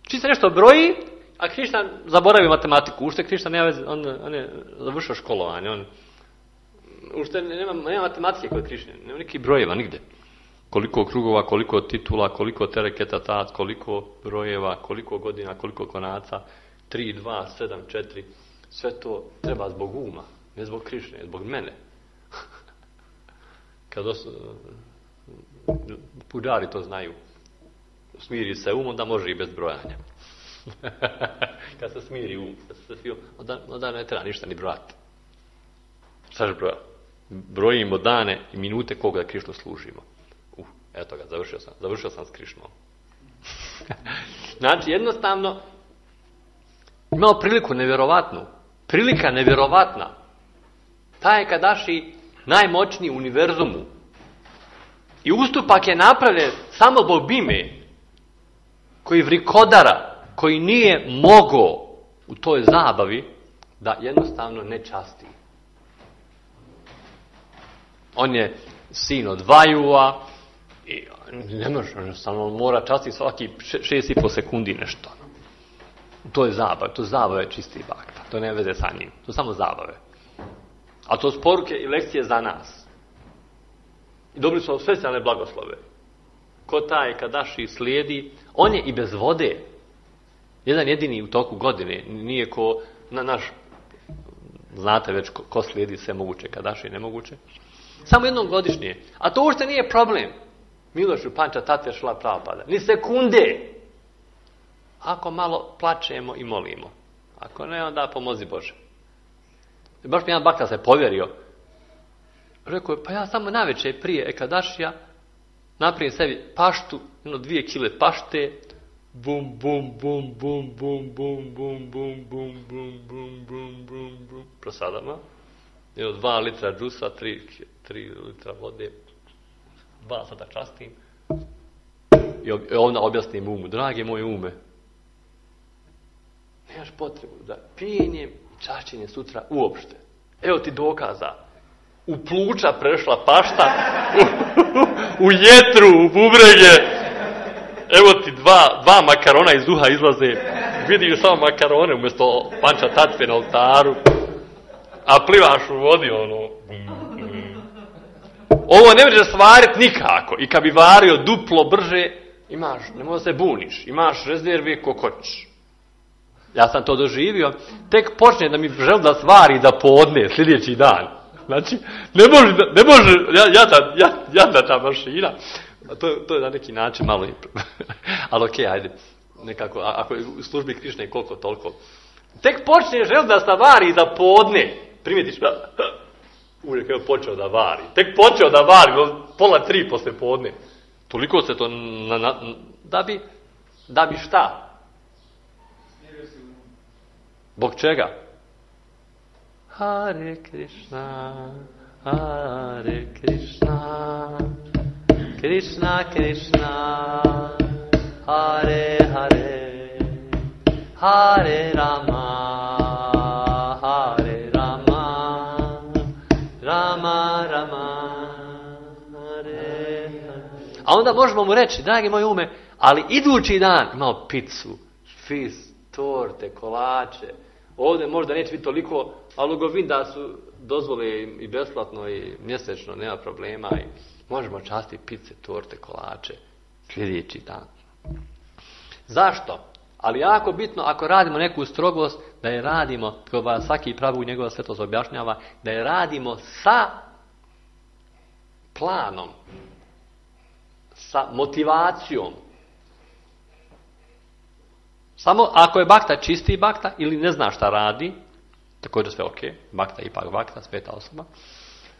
Čička nešto broji, a Krišna zaboravi matematiku. Ušte Krišna nema veze, on je završio školovanje. Ušte nema matematike kod Krišne. Nema nekih brojeva nigde. Koliko krugova, koliko titula, koliko tereketa tat, koliko brojeva, koliko godina, koliko konaca. 3, 2, 7, 4. Sve to treba zbog uma. Ne zbog Krišne, zbog mene. Kad puđari to znaju. Smiri se um, onda može i bez brojanja. Kad se smiri um, onda ne treba ništa ni brojati. Šta ćeš brojati? Brojimo dane i minute koga da Krišnu služimo. Eto ga, završio sam s Krišnom. Znači, jednostavno, imamo priliku nevjerovatnu. Prilika nevjerovatna. Taj kadaši najmoćniji u univerzumu. I ustupak je napravljen samo zbog Bime, koji vrikodara, koji nije mogao u toj zabavi da jednostavno ne časti. On je sin od Vajuva i ne može, jednostavno mora častiti svaki 6,5 sekundi nešto. To je zabava, to zabave čisti bakta, to ne veze sa njim, to samo zabave. A to su poruke i lekcije za nas. I dobili smo specijalne blagoslove. Ko taj kadaši slijedi, on je i bez vode. Jedan jedini u toku godine, nije ko naš, znate već ko slijedi sve moguće kadaši i nemoguće. Samo jednom godišnje. A to uopšte nije problem. Milošu Panča Tatve Šrila Prabhupada. Ni sekunde. Ako malo plačemo i molimo. Ako ne, onda pomozi Bože. I baš mi jedan bakta se povjerio. Rekao je, pa ja samo navečer prije ekadašija napravim sebi paštu, 2 kile pašte, bum, bum, bum, bum, bum, bum, bum, bum, bum, bum, bum, bum, bum, bum, prosadama. 2 litra džusa, 3 litra vode, 2 sata častim. I onda objasnim umu, drage moje ume, nemaš potrebu da pijenjem i čašćenjem sutra uopšte. Evo ti dokaza. U pluća prešla pašta, u jetru, u bubrege. Evo ti dva makarona iz uha izlaze. Vidiš samo makarone umjesto Panča Tatve na oltaru. A plivaš u vodi, Ovo ne može svariti nikako. I kad bi vario duplo brže, imaš, ne može se buniš, imaš rezerve ko hoćeš. Ja sam to doživio. Tek počne da mi želi da svari da podne sljedeći dan. Znači, ne može, jadna ta mašina. To je na neki način malo, ali okej, ajde. nekako, ako je u službi Krišne koliko toliko. Tek počne želiti da vari za podne. Primjetiš, uvijek je počeo da vari. Tek počeo da vari, 2:30 posle podne. Toliko se to da bi šta? Bog čega? Hare Krishna, Hare Krishna, Krishna Krishna, Hare Hare, Hare Rama, Hare Rama, Rama Rama, Hare Hare. A onda možemo mu reći, dragi moj ume, ali idući dan imamo picu, fis, torte, kolače. Ovdje možda neće biti toliko, ali govin da su dozvole i besplatno i mjesečno, nema problema i možemo časti pice, torte, kolače sljedeći dan. Zašto? Ali jako bitno, ako radimo neku strogost, da je radimo, kao svaki pravu njegova svetost objašnjava, da je radimo sa planom, sa motivacijom. Samo ako je bakta čisti bakta ili ne zna šta radi, također sve ok, bakta je ipak bakta, sveta osoba,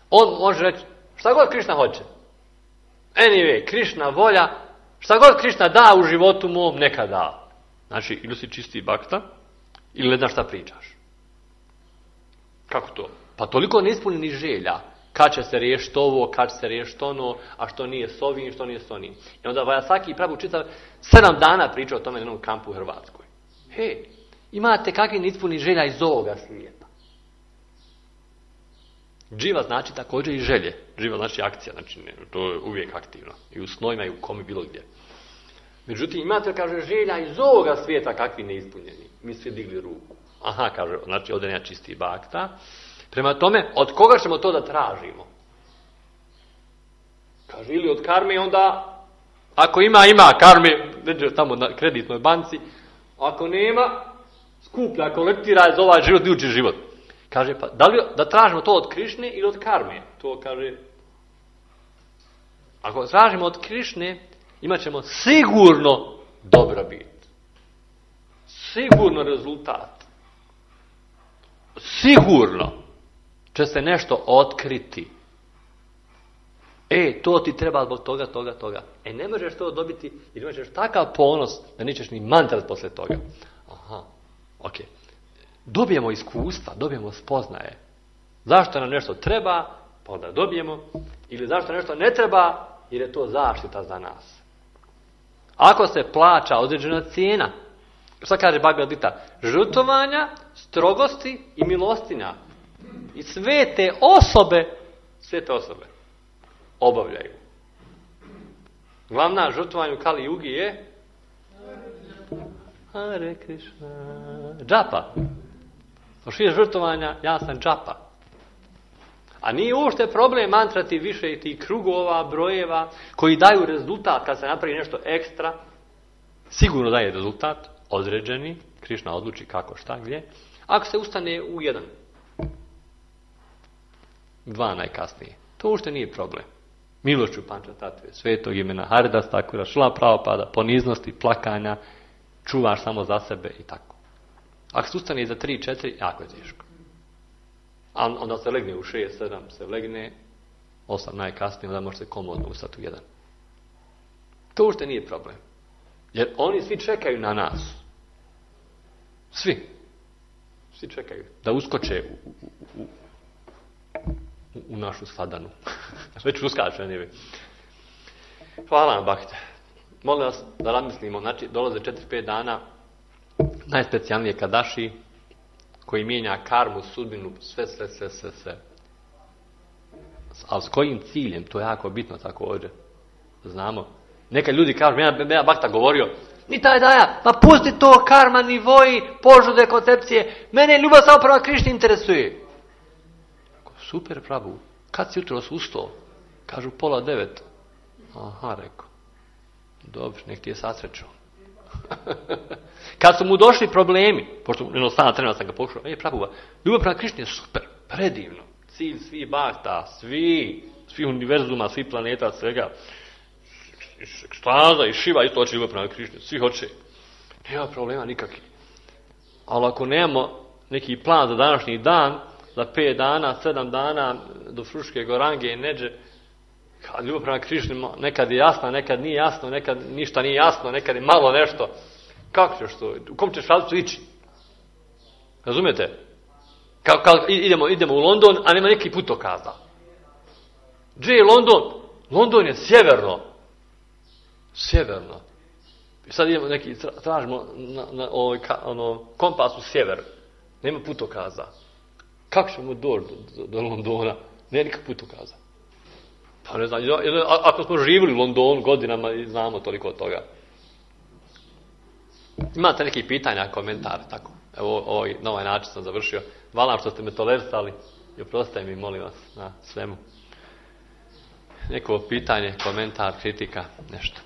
on može reći šta god Krišna hoće. Anyway, Krišna volja, šta god Krišna da u životu mom, neka da. Znači, ili si čisti bakta, ili ne znaš šta pričaš. Kako to? Pa toliko neispunjenih želja. Kad će se riješiti ovo, kad će se riješiti ono, a što nije s ovim, što nije s onim. I onda Vajasaki pravu čitav 7 dana priča o tome na jednom kampu u Hrvatskoj. Hej, imate kakvi neispunjenih želja iz ovoga svijeta. Dživa znači također i želje. Dživa znači akcija, znači to je uvijek aktivno. I u snojima i u komi bilo gdje. Međutim, imate, kaže, želja iz ovoga svijeta kakvi neispunjeni. Mi svi digli ruku. Aha, kaže, znači ovdje nema čisti bakta. Prema tome, od koga ćemo to da tražimo? Kaže, ili od karme, onda, ako ima karme, neđe tamo na kreditnoj banci, ako nema, skuplja, kolektira za ovaj život, idući život. Kaže, pa da li da tražimo to od Krišne ili od karme? To kaže, ako tražimo od Krišne, imat ćemo sigurno dobrobit. Sigurno rezultat. Sigurno će se nešto otkriti. To ti treba zbog toga. Ne možeš to dobiti jer imat ćeš takav ponos da nećeš ni mantrat posle toga. Aha, ok. Dobijemo iskustva, dobijemo spoznaje. Zašto nam nešto treba, pa onda dobijemo. Ili zašto nešto ne treba, jer je to zaštita za nas. Ako se plaća određena cijena, šta kaže Bhagavad Gita? Žrtvovanja, strogosti i milostinja. I svete osobe obavljaju. Glavna žrtvovanja u Kali Jugi je Hare Krishna. Džapa. Što žrtvovanja, ja sam džapa. A nije uopšte problem mantrati više i tih krugova, brojeva, koji daju rezultat kad se napravi nešto ekstra. Sigurno daje rezultat, određeni, Krišna odluči kako, šta, gdje. Ako se ustane u 1, 2 najkasnije, to uopšte nije problem. Milošću Panča Tatve, svetog imena Haridas Thakura, Šrila Prabhupada, poniznosti, plakanja, čuvaš samo za sebe i tako. Ako se ustane za 3, 4, jako je teško. A onda se legne u 6, 7, se legne, 8 najkasnije, onda može se komodno ustati u 1. To uopšte nije problem. Jer oni svi čekaju na nas. Svi čekaju da uskoče u našu sladanu. Već uskače, ne bi. Hvala vam, Bakte. Molim vas da razmislimo, znači dolaze 4-5 dana, najspecijalnije Kadaši, koji mijenja karmu, sudbinu, sve. Ali s kojim ciljem? To je jako bitno također. Znamo. Neka ljudi kažu, ja Bakta govorio, ni taj daja, ma pusti to karma, nivoji, požude, koncepcije, mene ljubav samo prema Krišni interesuje. Super, Prabhu, kad si jutros ustao? Kažu 8:30. Aha, rekao. Dobro, nek ti je sasrećo. Kad su mu došli problemi, pošto jednostavno trenutno sam ga pokušao, Prabhu, ljubav prema Krišni je super, predivno. Cilj svih bakta, svi univerzuma, svi planeta, svega. Ekstaza i Šiva isto hoće ljubav prema Krišni, svi hoće. Nema problema nikakvi. Ali ako nemamo neki plan za današnji dan, za 5 dana, 7 dana, do Fruške Gorange i Neđe, ljubav prema Krišni nekad je jasna, nekad nije jasno, nekad ništa nije jasno, nekad je malo nešto. Kako ćeš to? U kom ćeš pravcu ići? Razumijete? Idemo u London, a nema neki putokaza. Gdje je London? London je sjeverno. Sjeverno. I sad idemo tražimo na kompasu sjever. Nema putokaza. Kako ćemo doći do Londona? Nema nikak putokaza. Pa ne znam, ako smo živjeli u Londonu godinama i znamo toliko od toga. Imate neki pitanja, komentare, tako? Evo, na ovaj način sam završio. Hvala što ste me tolerisali i oprostite mi, molim vas, na svemu. Neko pitanje, komentar, kritika, nešto.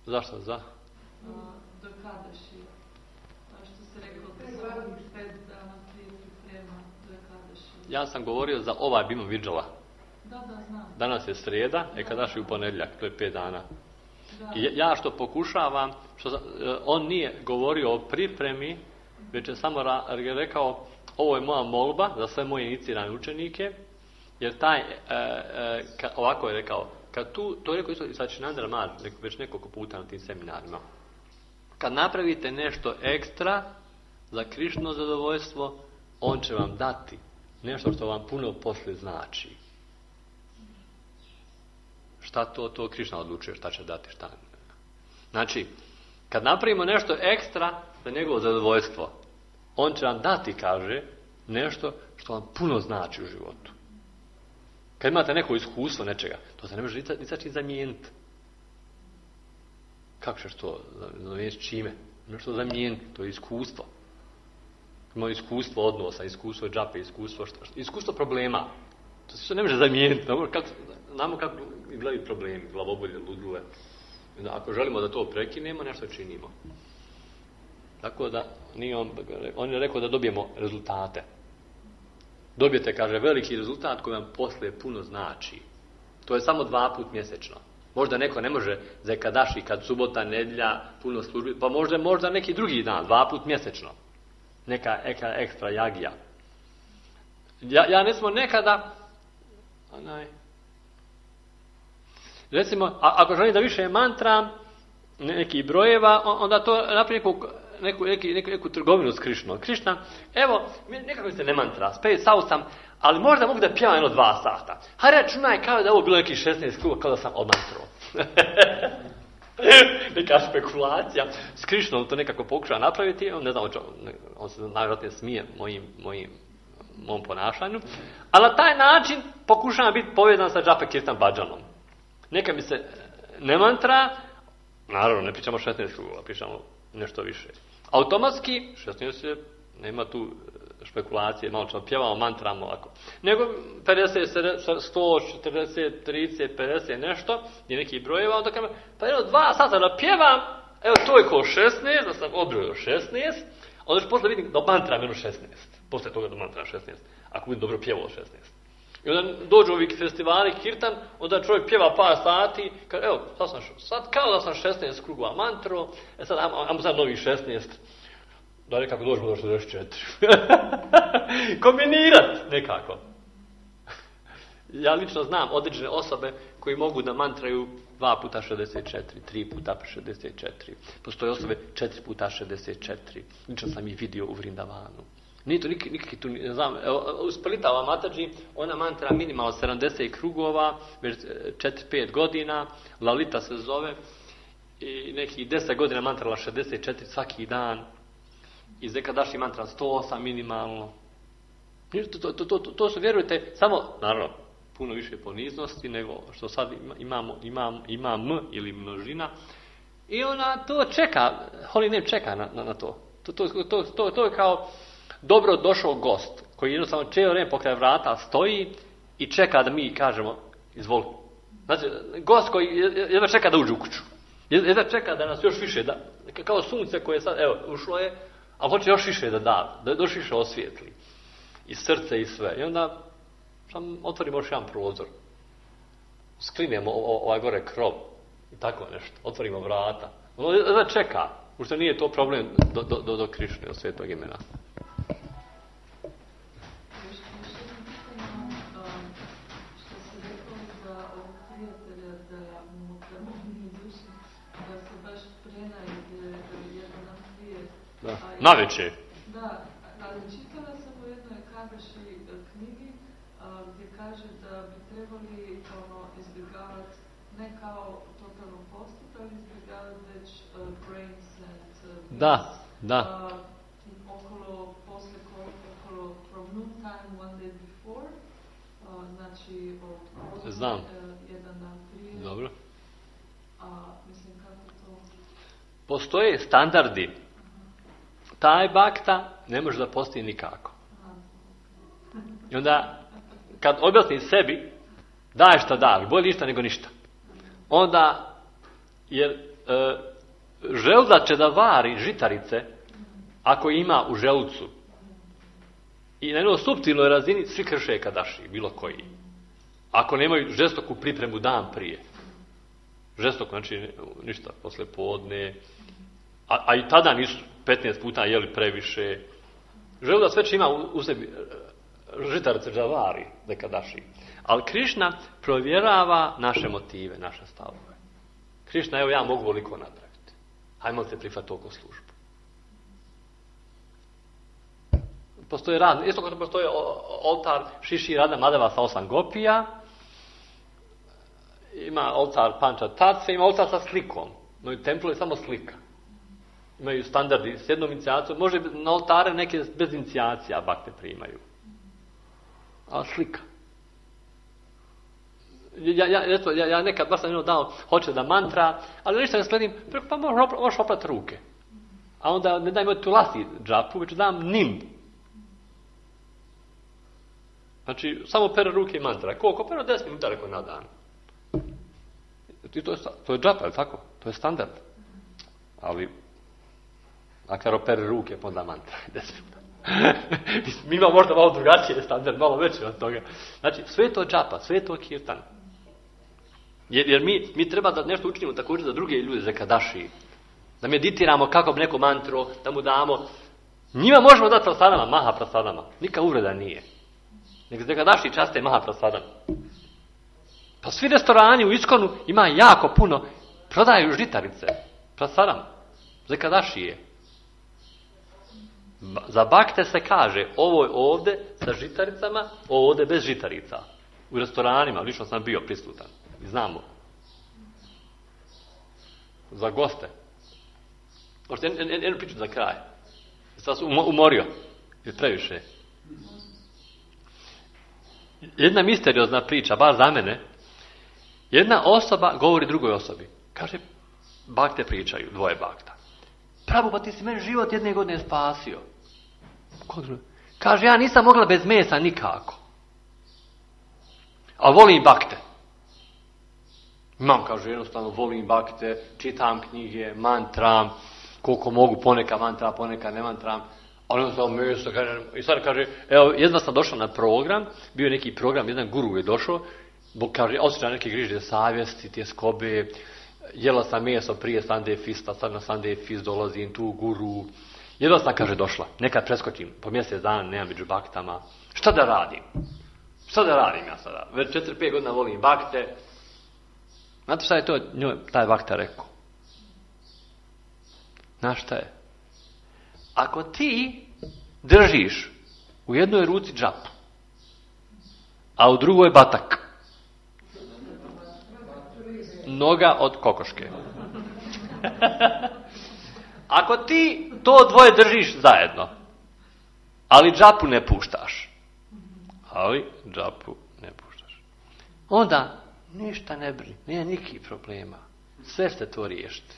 Zašto? Za? Do Kadaši. Što se rekao, da svakih 5 dana prije priprema do Kadaši. Ja sam govorio za ovaj Bima Vidžala. Da, znam. Danas je srijeda, Kadaši u ponedjeljak, to je 5 dana. I ja što pokušavam, on nije govorio o pripremi, već je samo rekao, ovo je moja molba za sve moje inicirane učenike, jer ovako je rekao, kad to je rekao isto i Sačinandra Mar, već nekoliko puta na tim seminarima. Kad napravite nešto ekstra za Krišno zadovoljstvo, on će vam dati nešto što vam puno poslije znači. Šta to Krišna odlučuje, šta će dati, šta ne. Znači, kad napravimo nešto ekstra za njegovo zadovoljstvo, on će vam dati, kaže, nešto što vam puno znači u životu. Kad imate neko iskustvo nečega, to se ne može ni sa čim zamijeniti. Kako ćeš to zamijeniti čime? Nešto zamijeniti, to je iskustvo. Imamo iskustvo odnosa, iskustvo džape, iskustvo problema. To se ne može zamijeniti. Znamo kako izgledaju problemi, glavobolje, ludile. Ako želimo da to prekinemo, nešto činimo. Tako da, on je rekao da dobijemo rezultate. Dobijete, kaže, veliki rezultat koji vam poslije puno znači. To je samo 2 puta mjesečno. Možda neko ne može za Kadaši, kad subota, nedjelja, puno službi, pa možda neki drugi dan, 2 puta mjesečno. Neka ekstra jagija. Ja ne smo nekada, recimo, ako želim da više mantram, nekih brojeva, onda to napravi neku trgovinu s Krišnom. Krišna, evo, nekako se ne mantra, spao sam, ali možda mogu da pjevam 2 sata. Hajde računaj kao da je ovo bilo nekih 16 kruga, kao da sam odmantrao. Neka spekulacija. S Krišnom to nekako pokušava napraviti, ne znam, on se najvjerojatnije smije mom ponašanju, ali na taj način pokušavam biti povezan sa Džape Kirtan Bhajanom. Neka mi se ne mantra, naravno ne pričamo 16 krugova, pričamo nešto više. Automatski, 16 je, nema tu špekulacije, malo ćemo pjevamo, mantramo ovako. Nego 50, 100, 40, 30, 50, nešto, je neki brojeva, onda kažem, pa 2 sata da pjevam, evo to je ko 16, da sam odbrojio 16, onda ću posle vidim da mantram 16, posle toga da mantram 16, ako budem dobro pjevao 16. I onda dođu ovi festivali, kirtan, onda čovjek pjeva par sati, kaže, evo, sad kao da sam 16 krugova mantro, sad ajmo sad novih 16, da nekako dođemo do 64. Kombinirat nekako. Ja lično znam određene osobe koji mogu da mantraju 2 puta 64, 3 puta 64. Postoje osobe 4 puta 64. Lično sam ih vidio u Vrindavanu. Nije to nikakvi tu, ne znam, uspalitava Mataji, ona mantra minimalno 70 krugova, već 4-5 godina, Lalita se zove, i nekih 10 godina mantrala 64 svaki dan, i Zekadaši mantra 108 minimalno. To su, vjerujte, samo, naravno, puno više poniznosti nego što sad imam ili množina, i ona to čeka, Holy Name čeka na to. To je kao dobro došao gost, koji jednostavno cijelo vrijeme pokraj vrata stoji i čeka da mi kažemo izvoli. Znači, gost koji jedva čeka da uđe u kuću. Jedva čeka da nas još više, kao sunce koje sad, evo, ušlo je, a hoće još više da još više osvijetli. I srce i sve. I onda otvorimo još jedan prozor. Sklinemo ovaj gore krov. I tako nešto. Otvorimo vrata. Ono jedva čeka. Ušto nije to problem do Krišne, do svetog imena. Da. Navečer. Da, ali čitala sam u jednoj Kadaši knjigi gdje kaže da bi trebali izbjegavati ne kao totalno postup, ali izbjegavati već grains and Da. Okolo from noon time one day before, znači od znam. Jedan dan prije. Dobro. Mislim kako to... Postoje standardi. Taj bakta ne može da postoji nikako. I onda, kad objasni sebi, daj šta daš, bolje ništa nego ništa. Onda, jer želda će da vari žitarice, ako ima u želucu. I na jednoj suptilnoj razini svi krše kadaši, bilo koji. Ako nemaju žestoku pripremu dan prije. Žestoko, znači ništa, posle podne. A i tada nisu 15 puta jeli previše. Želda sve će ima u sebi žitarice da vari nekadaši. Ali Krišna provjerava naše motive, naše stavove. Krišna, evo ja mogu ovoliko napraviti. Hajmo se prihvatiti toliko službu. Postoje rad, isto kao postoje oltar Šiši Rada Madava sa 8 gopija, ima oltar Panča Tatve, ima oltar sa slikom. No i templu je samo slika. Imaju standardi s jednom inicijacijom, može na oltare neke bez inicijacija bakte primaju. A slika. Ja nekad baš sam dao, hoće da mantra, ali ništa ne sledim, pa možeš oprati ruke. A onda ne daj mi tu lasi džapu, već dam nim. Znači, samo pere ruke i mantra. Koliko? Pero 10 minuta reko na dan. To je džapa, je tako? To je standard. Ali, ako pere ruke, pa onda mantra. 10 minuta. Mi imamo možda malo drugačije standard, malo veće od toga. Znači, sve je to džapa, sve je to kirtan. Jer mi treba da nešto učinimo također za druge ljude, za kadaši. Da meditiramo kako bi neko mantro, da mu damo. Njima možemo dati prasadama, maha prasadama. Nika uvreda nije. Nek za kadaši časte maha prasadama. Pa svi restorani u Iskonu ima jako puno, prodaju žitarice. Prasadama. Za kadaši je. Za bakte se kaže, ovo je ovdje sa žitaricama, ovo ovdje bez žitarica. U restoranima, lično sam bio prisutan. I znamo. Za goste. Možete jednu priču za kraj. Sad sam umorio. Je previše. Jedna misteriozna priča, bar za mene. Jedna osoba govori drugoj osobi. Kaže, bakte pričaju, dvoje bakta. Pravo, pa ti si meni život jedne godine spasio. Kaže, ja nisam mogla bez mesa nikako. A volim bakte. Imam, kaže, jednostavno volim bakte, čitam knjige, mantram, koliko mogu, poneka mantra, poneka ne mantram, ali jednostavno meso, kaže, i sad kaže, evo, jedva sam došao na program, bio je neki program, jedan guru je došao, kaže, osjećam neke grižnje savjesti, tjeskobe, jela sam meso prije Sunday Fista, sad na Sunday Fist dolazim, tu guru, jedva sam, kaže, došla, nekad preskočim, po mjesec dana, nemam među baktama, šta da radim? Šta da radim ja sada? Već 4-5 godina volim bakte. Znate šta je to njoj, taj bakta rekao? Znaš šta je? Ako ti držiš u jednoj ruci džapu, a u drugoj batak, noga od kokoške. Ako ti to dvoje držiš zajedno, ali džapu ne puštaš, onda ništa ne brini, nema nikakvih problema. Sve ste to riješiti.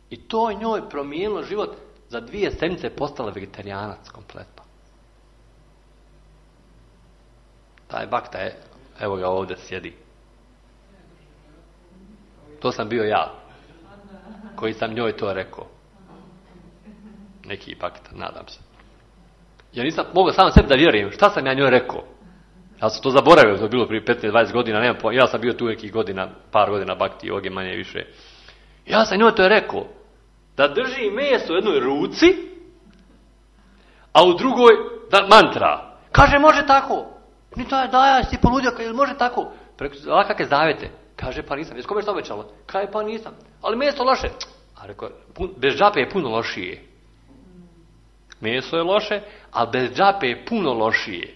I to njoj promijenilo život. Za 2 sedmice postala vegetarijanac kompletno. Taj bakta je, evo ga ovdje sjedi. to sam bio ja, koji sam njoj to rekao. Neki bakta, nadam se. Ja nisam mogao sam sebi da vjerujem šta sam ja njoj rekao. Ja sam to zaboravio, to je bilo prije 15-20 godina, nemam pojma. Ja sam bio tu nekih godina, par godina bakti joge, manje više. Ja sam njoj to rekao, da drži meso u jednoj ruci, a u drugoj da mantra. Kaže, može tako. Ni da ja si poludio, može tako. A kakve zavete? Kaže, pa nisam. Jesi kome što obećala? Kaže, pa nisam. Ali meso loše. A rekao, bez džape je puno lošije. Meso je loše, a bez džape je puno lošije.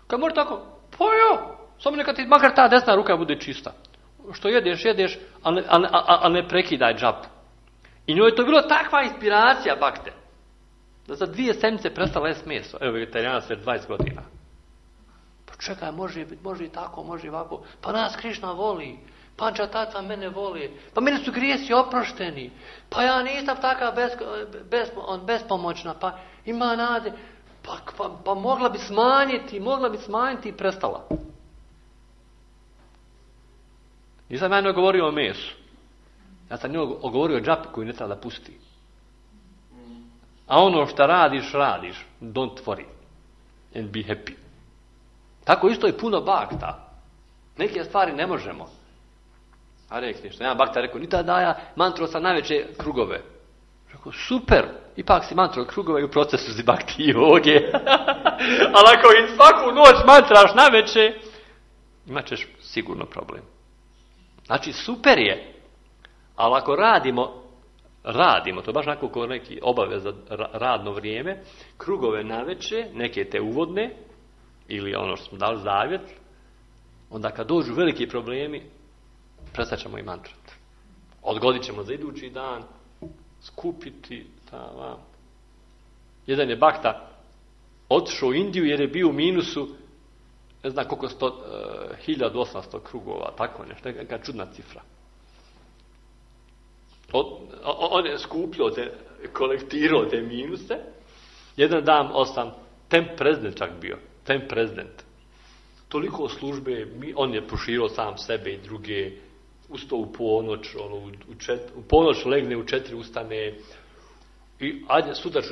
Kad može tako? Pa jo, samo neka ti makar ta desna ruka bude čista. Što jedeš, a ne prekidaj džapu. I njoj je to bilo takva inspiracija bakte, da za 2 sedmice prestala jest meso. Evo, vegetarijanac već 20 godina. Pa čekaj, može i tako, može i ovako. Pa nas Krišna voli. Panča tata mene voli. Pa mene su grijesi oprošteni. Pa ja nisam taka bespomoćna. Pa ima nade. Pa mogla bi smanjiti i prestala. Nisam ja govorio o mesu. Ja sam njoj govorio o džapi koju ne treba da pusti. A ono što radiš. Don't worry. And be happy. Tako isto je puno bakta. Neke stvari ne možemo. A rekli što. Jedan bakta rekao, nita daja mantro sa najveće krugove. Rekao, super. Ipak si mantro krugove i u procesu si bakti joge. Ali ako i svaku noć mantraš najveće, imat ćeš sigurno problem. Znači, super je. Ali ako radimo, to je baš onako kao neki obaveza radno vrijeme, krugove naveče, neke te uvodne, ili ono što smo dali zavjet, onda kad dođu veliki problemi, prestat ćemo i mantrati. Odgodit ćemo za idući dan, skupiti, jedan je bakta otišao u Indiju jer je bio u minusu, ne znam koliko 1800 krugova, tako nešto, neka čudna cifra. On je skupljao kolektirao te minuse. Jedan dan temp prezident čak bio. Temp prezident. Toliko službe, on je proširao sam sebe i druge, ustao u ponoć, u ponoć legne, u 4 ustane, i ajde sutra,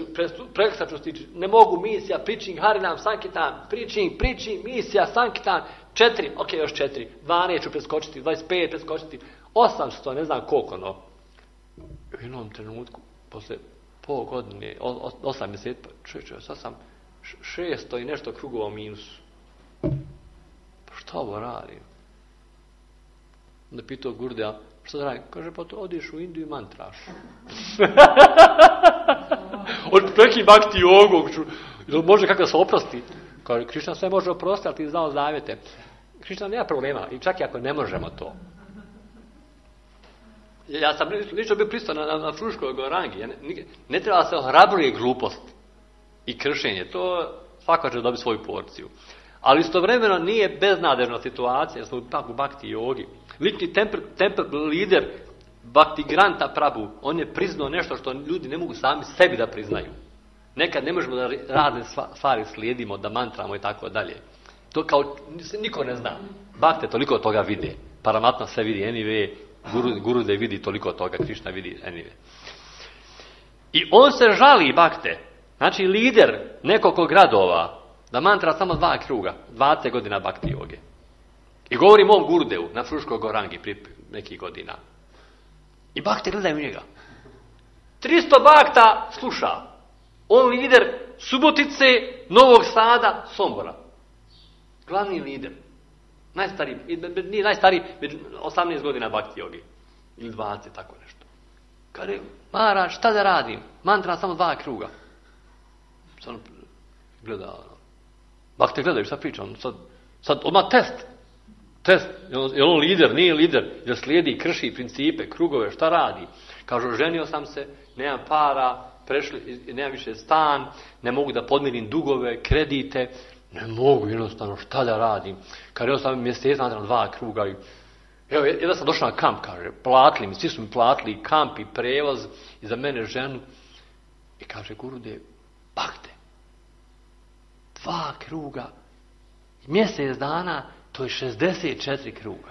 preksa ću stići, ne mogu misija, preaching Harinam Sankitan, preaching, misija Sankitan, 4, ok, još 4, 12 ću preskočiti, 25 preskočiti, 800, ne znam koliko, U jednom trenutku, posle pol godine, 8 mjeseci, sad sam 600 i nešto krugova u minusu. Pa šta ovo radim? Onda pitao Gurdea, šta da radim? Kaže, pa to odiš u Indiju i mantraš. Od neki bakti jogog, može kako da se oprosti? Kaže, Krišna sve može oprostiti, ali ti znao zavjete. Krišna nema problema, i čak i ako ne možemo to. Ja sam lično bio pristao na Fruškoj Gorangi. Ne treba se ohrabruje glupost i kršenje. To svako će dobiti svoju porciju. Ali istovremeno nije beznadežna situacija. Smo ipak u bakti jogi. Lični temple lider Bhakti Granta Prabhu, on je priznao nešto što ljudi ne mogu sami sebi da priznaju. Nekad ne možemo da razne stvari slijedimo, da mantramo i tako dalje. To kao niko ne zna. Bhakte toliko toga vide. Paramatma sve vidi anyway. Gurudev vidi toliko toga, Krišna vidi anyway. I on se žali, bakte, znači lider nekoliko gradova, da mantra samo 2 kruga, 20 godina bakti joge. I govori mom Gurudevu na Fruškoj Gorangi prije nekih godina. I bakte gledaju njega. 300 bakta sluša. On lider Subotice, Novog Sada, Sombora. Glavni lider. Najstariji, nije najstariji, 18 godina bakti jogi. Ili 20, tako nešto. Kaže, Maharaj, šta da radim? Mantra samo 2 kruga. Sad gleda, bakte gledaju, šta priča? Sad odmah test. Je on lider, nije lider? Jer slijedi, krši principe, krugove, šta radi? Kažu, ženio sam se, nemam para, nemam više stan, ne mogu da podmirim dugove, kredite. Ne mogu jednostavno, šta da radim? Kaže, sam mjesec nadam 2 kruga. Evo, jedan sam došao na kamp, kaže, platili mi, svi su mi platili kamp i prevoz i za mene ženu. I kaže, Gurudev, bakte, 2 kruga, mjesec dana, to je 64 kruga.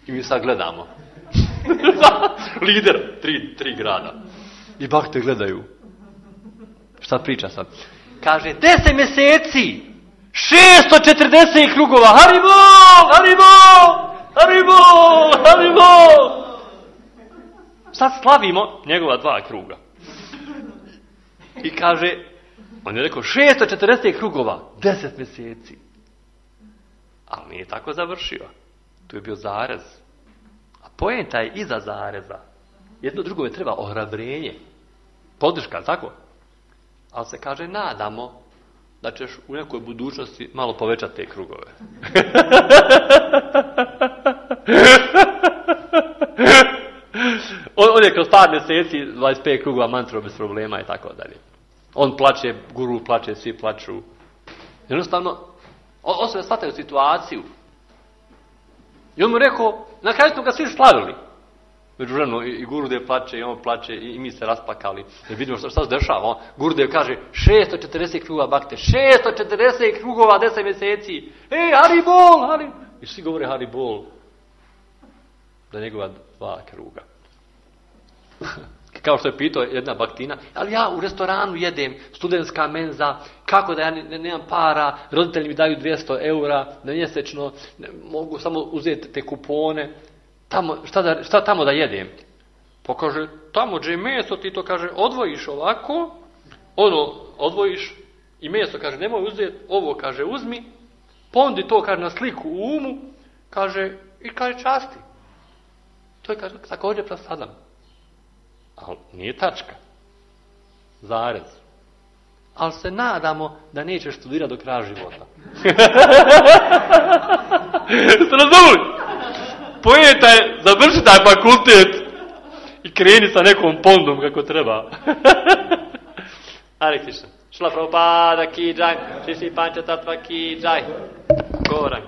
I mi sad gledamo. Lider, tri grada. I bakte gledaju. Šta priča sad? Kaže, 10 mjeseci, 640 krugova, Haribol, Haribol, Haribol, Haribol. Sad slavimo njegova 2 kruga. I kaže, on je rekao, 640 krugova, 10 mjeseci. Ali nije tako završio. Tu je bio zarez. A poenta je iza zareza. Jedno drugome treba ohrabrenje. Podrška, tako? Ali se kaže, nadamo da ćeš u nekoj budućnosti malo povećati te krugove. On je kroz par mjeseci 25 krugova mantro bez problema i tako dalje. On plače, guru plače, svi plaču. Jednostavno, osobe shvataju situaciju. I on mu rekao, na kraju smo ga svi slavili. Međuvremeno i Gurudev plače i on plače i mi se rasplakali. Jer vidimo šta se dešava. Gurudev kaže 640 krugova bakte, 640 krugova 10 mjeseci. Haribol, Haribol. I svi govore Haribol. Da njegova 2 kruga. Kao što je pitao jedna baktina, ali ja u restoranu jedem, studentska menza, kako da ja nemam para, roditelji mi daju 200 eura na mjesečno, mogu samo uzeti te kupone. Tamo, šta tamo da jedem? Pa kaže, tamo gdje je meso, ti to kaže, odvojiš ovako, odvojiš i meso, kaže, nemoj uzeti, ovo kaže, uzmi, pondi to, kaže, na sliku u umu, kaže, i kaže, časti. To je, kaže, također prasadam. Ali nije tačka. Zarez. Ali se nadamo da nećeš studirati do kraja života. Ste razumili? Poenta je završi taj fakultet i kreni sa nekom pondom kako treba. Hare Krishna. Šla Prabhupada ki jai, Shri Pancha Tattva ki jai. Gorang.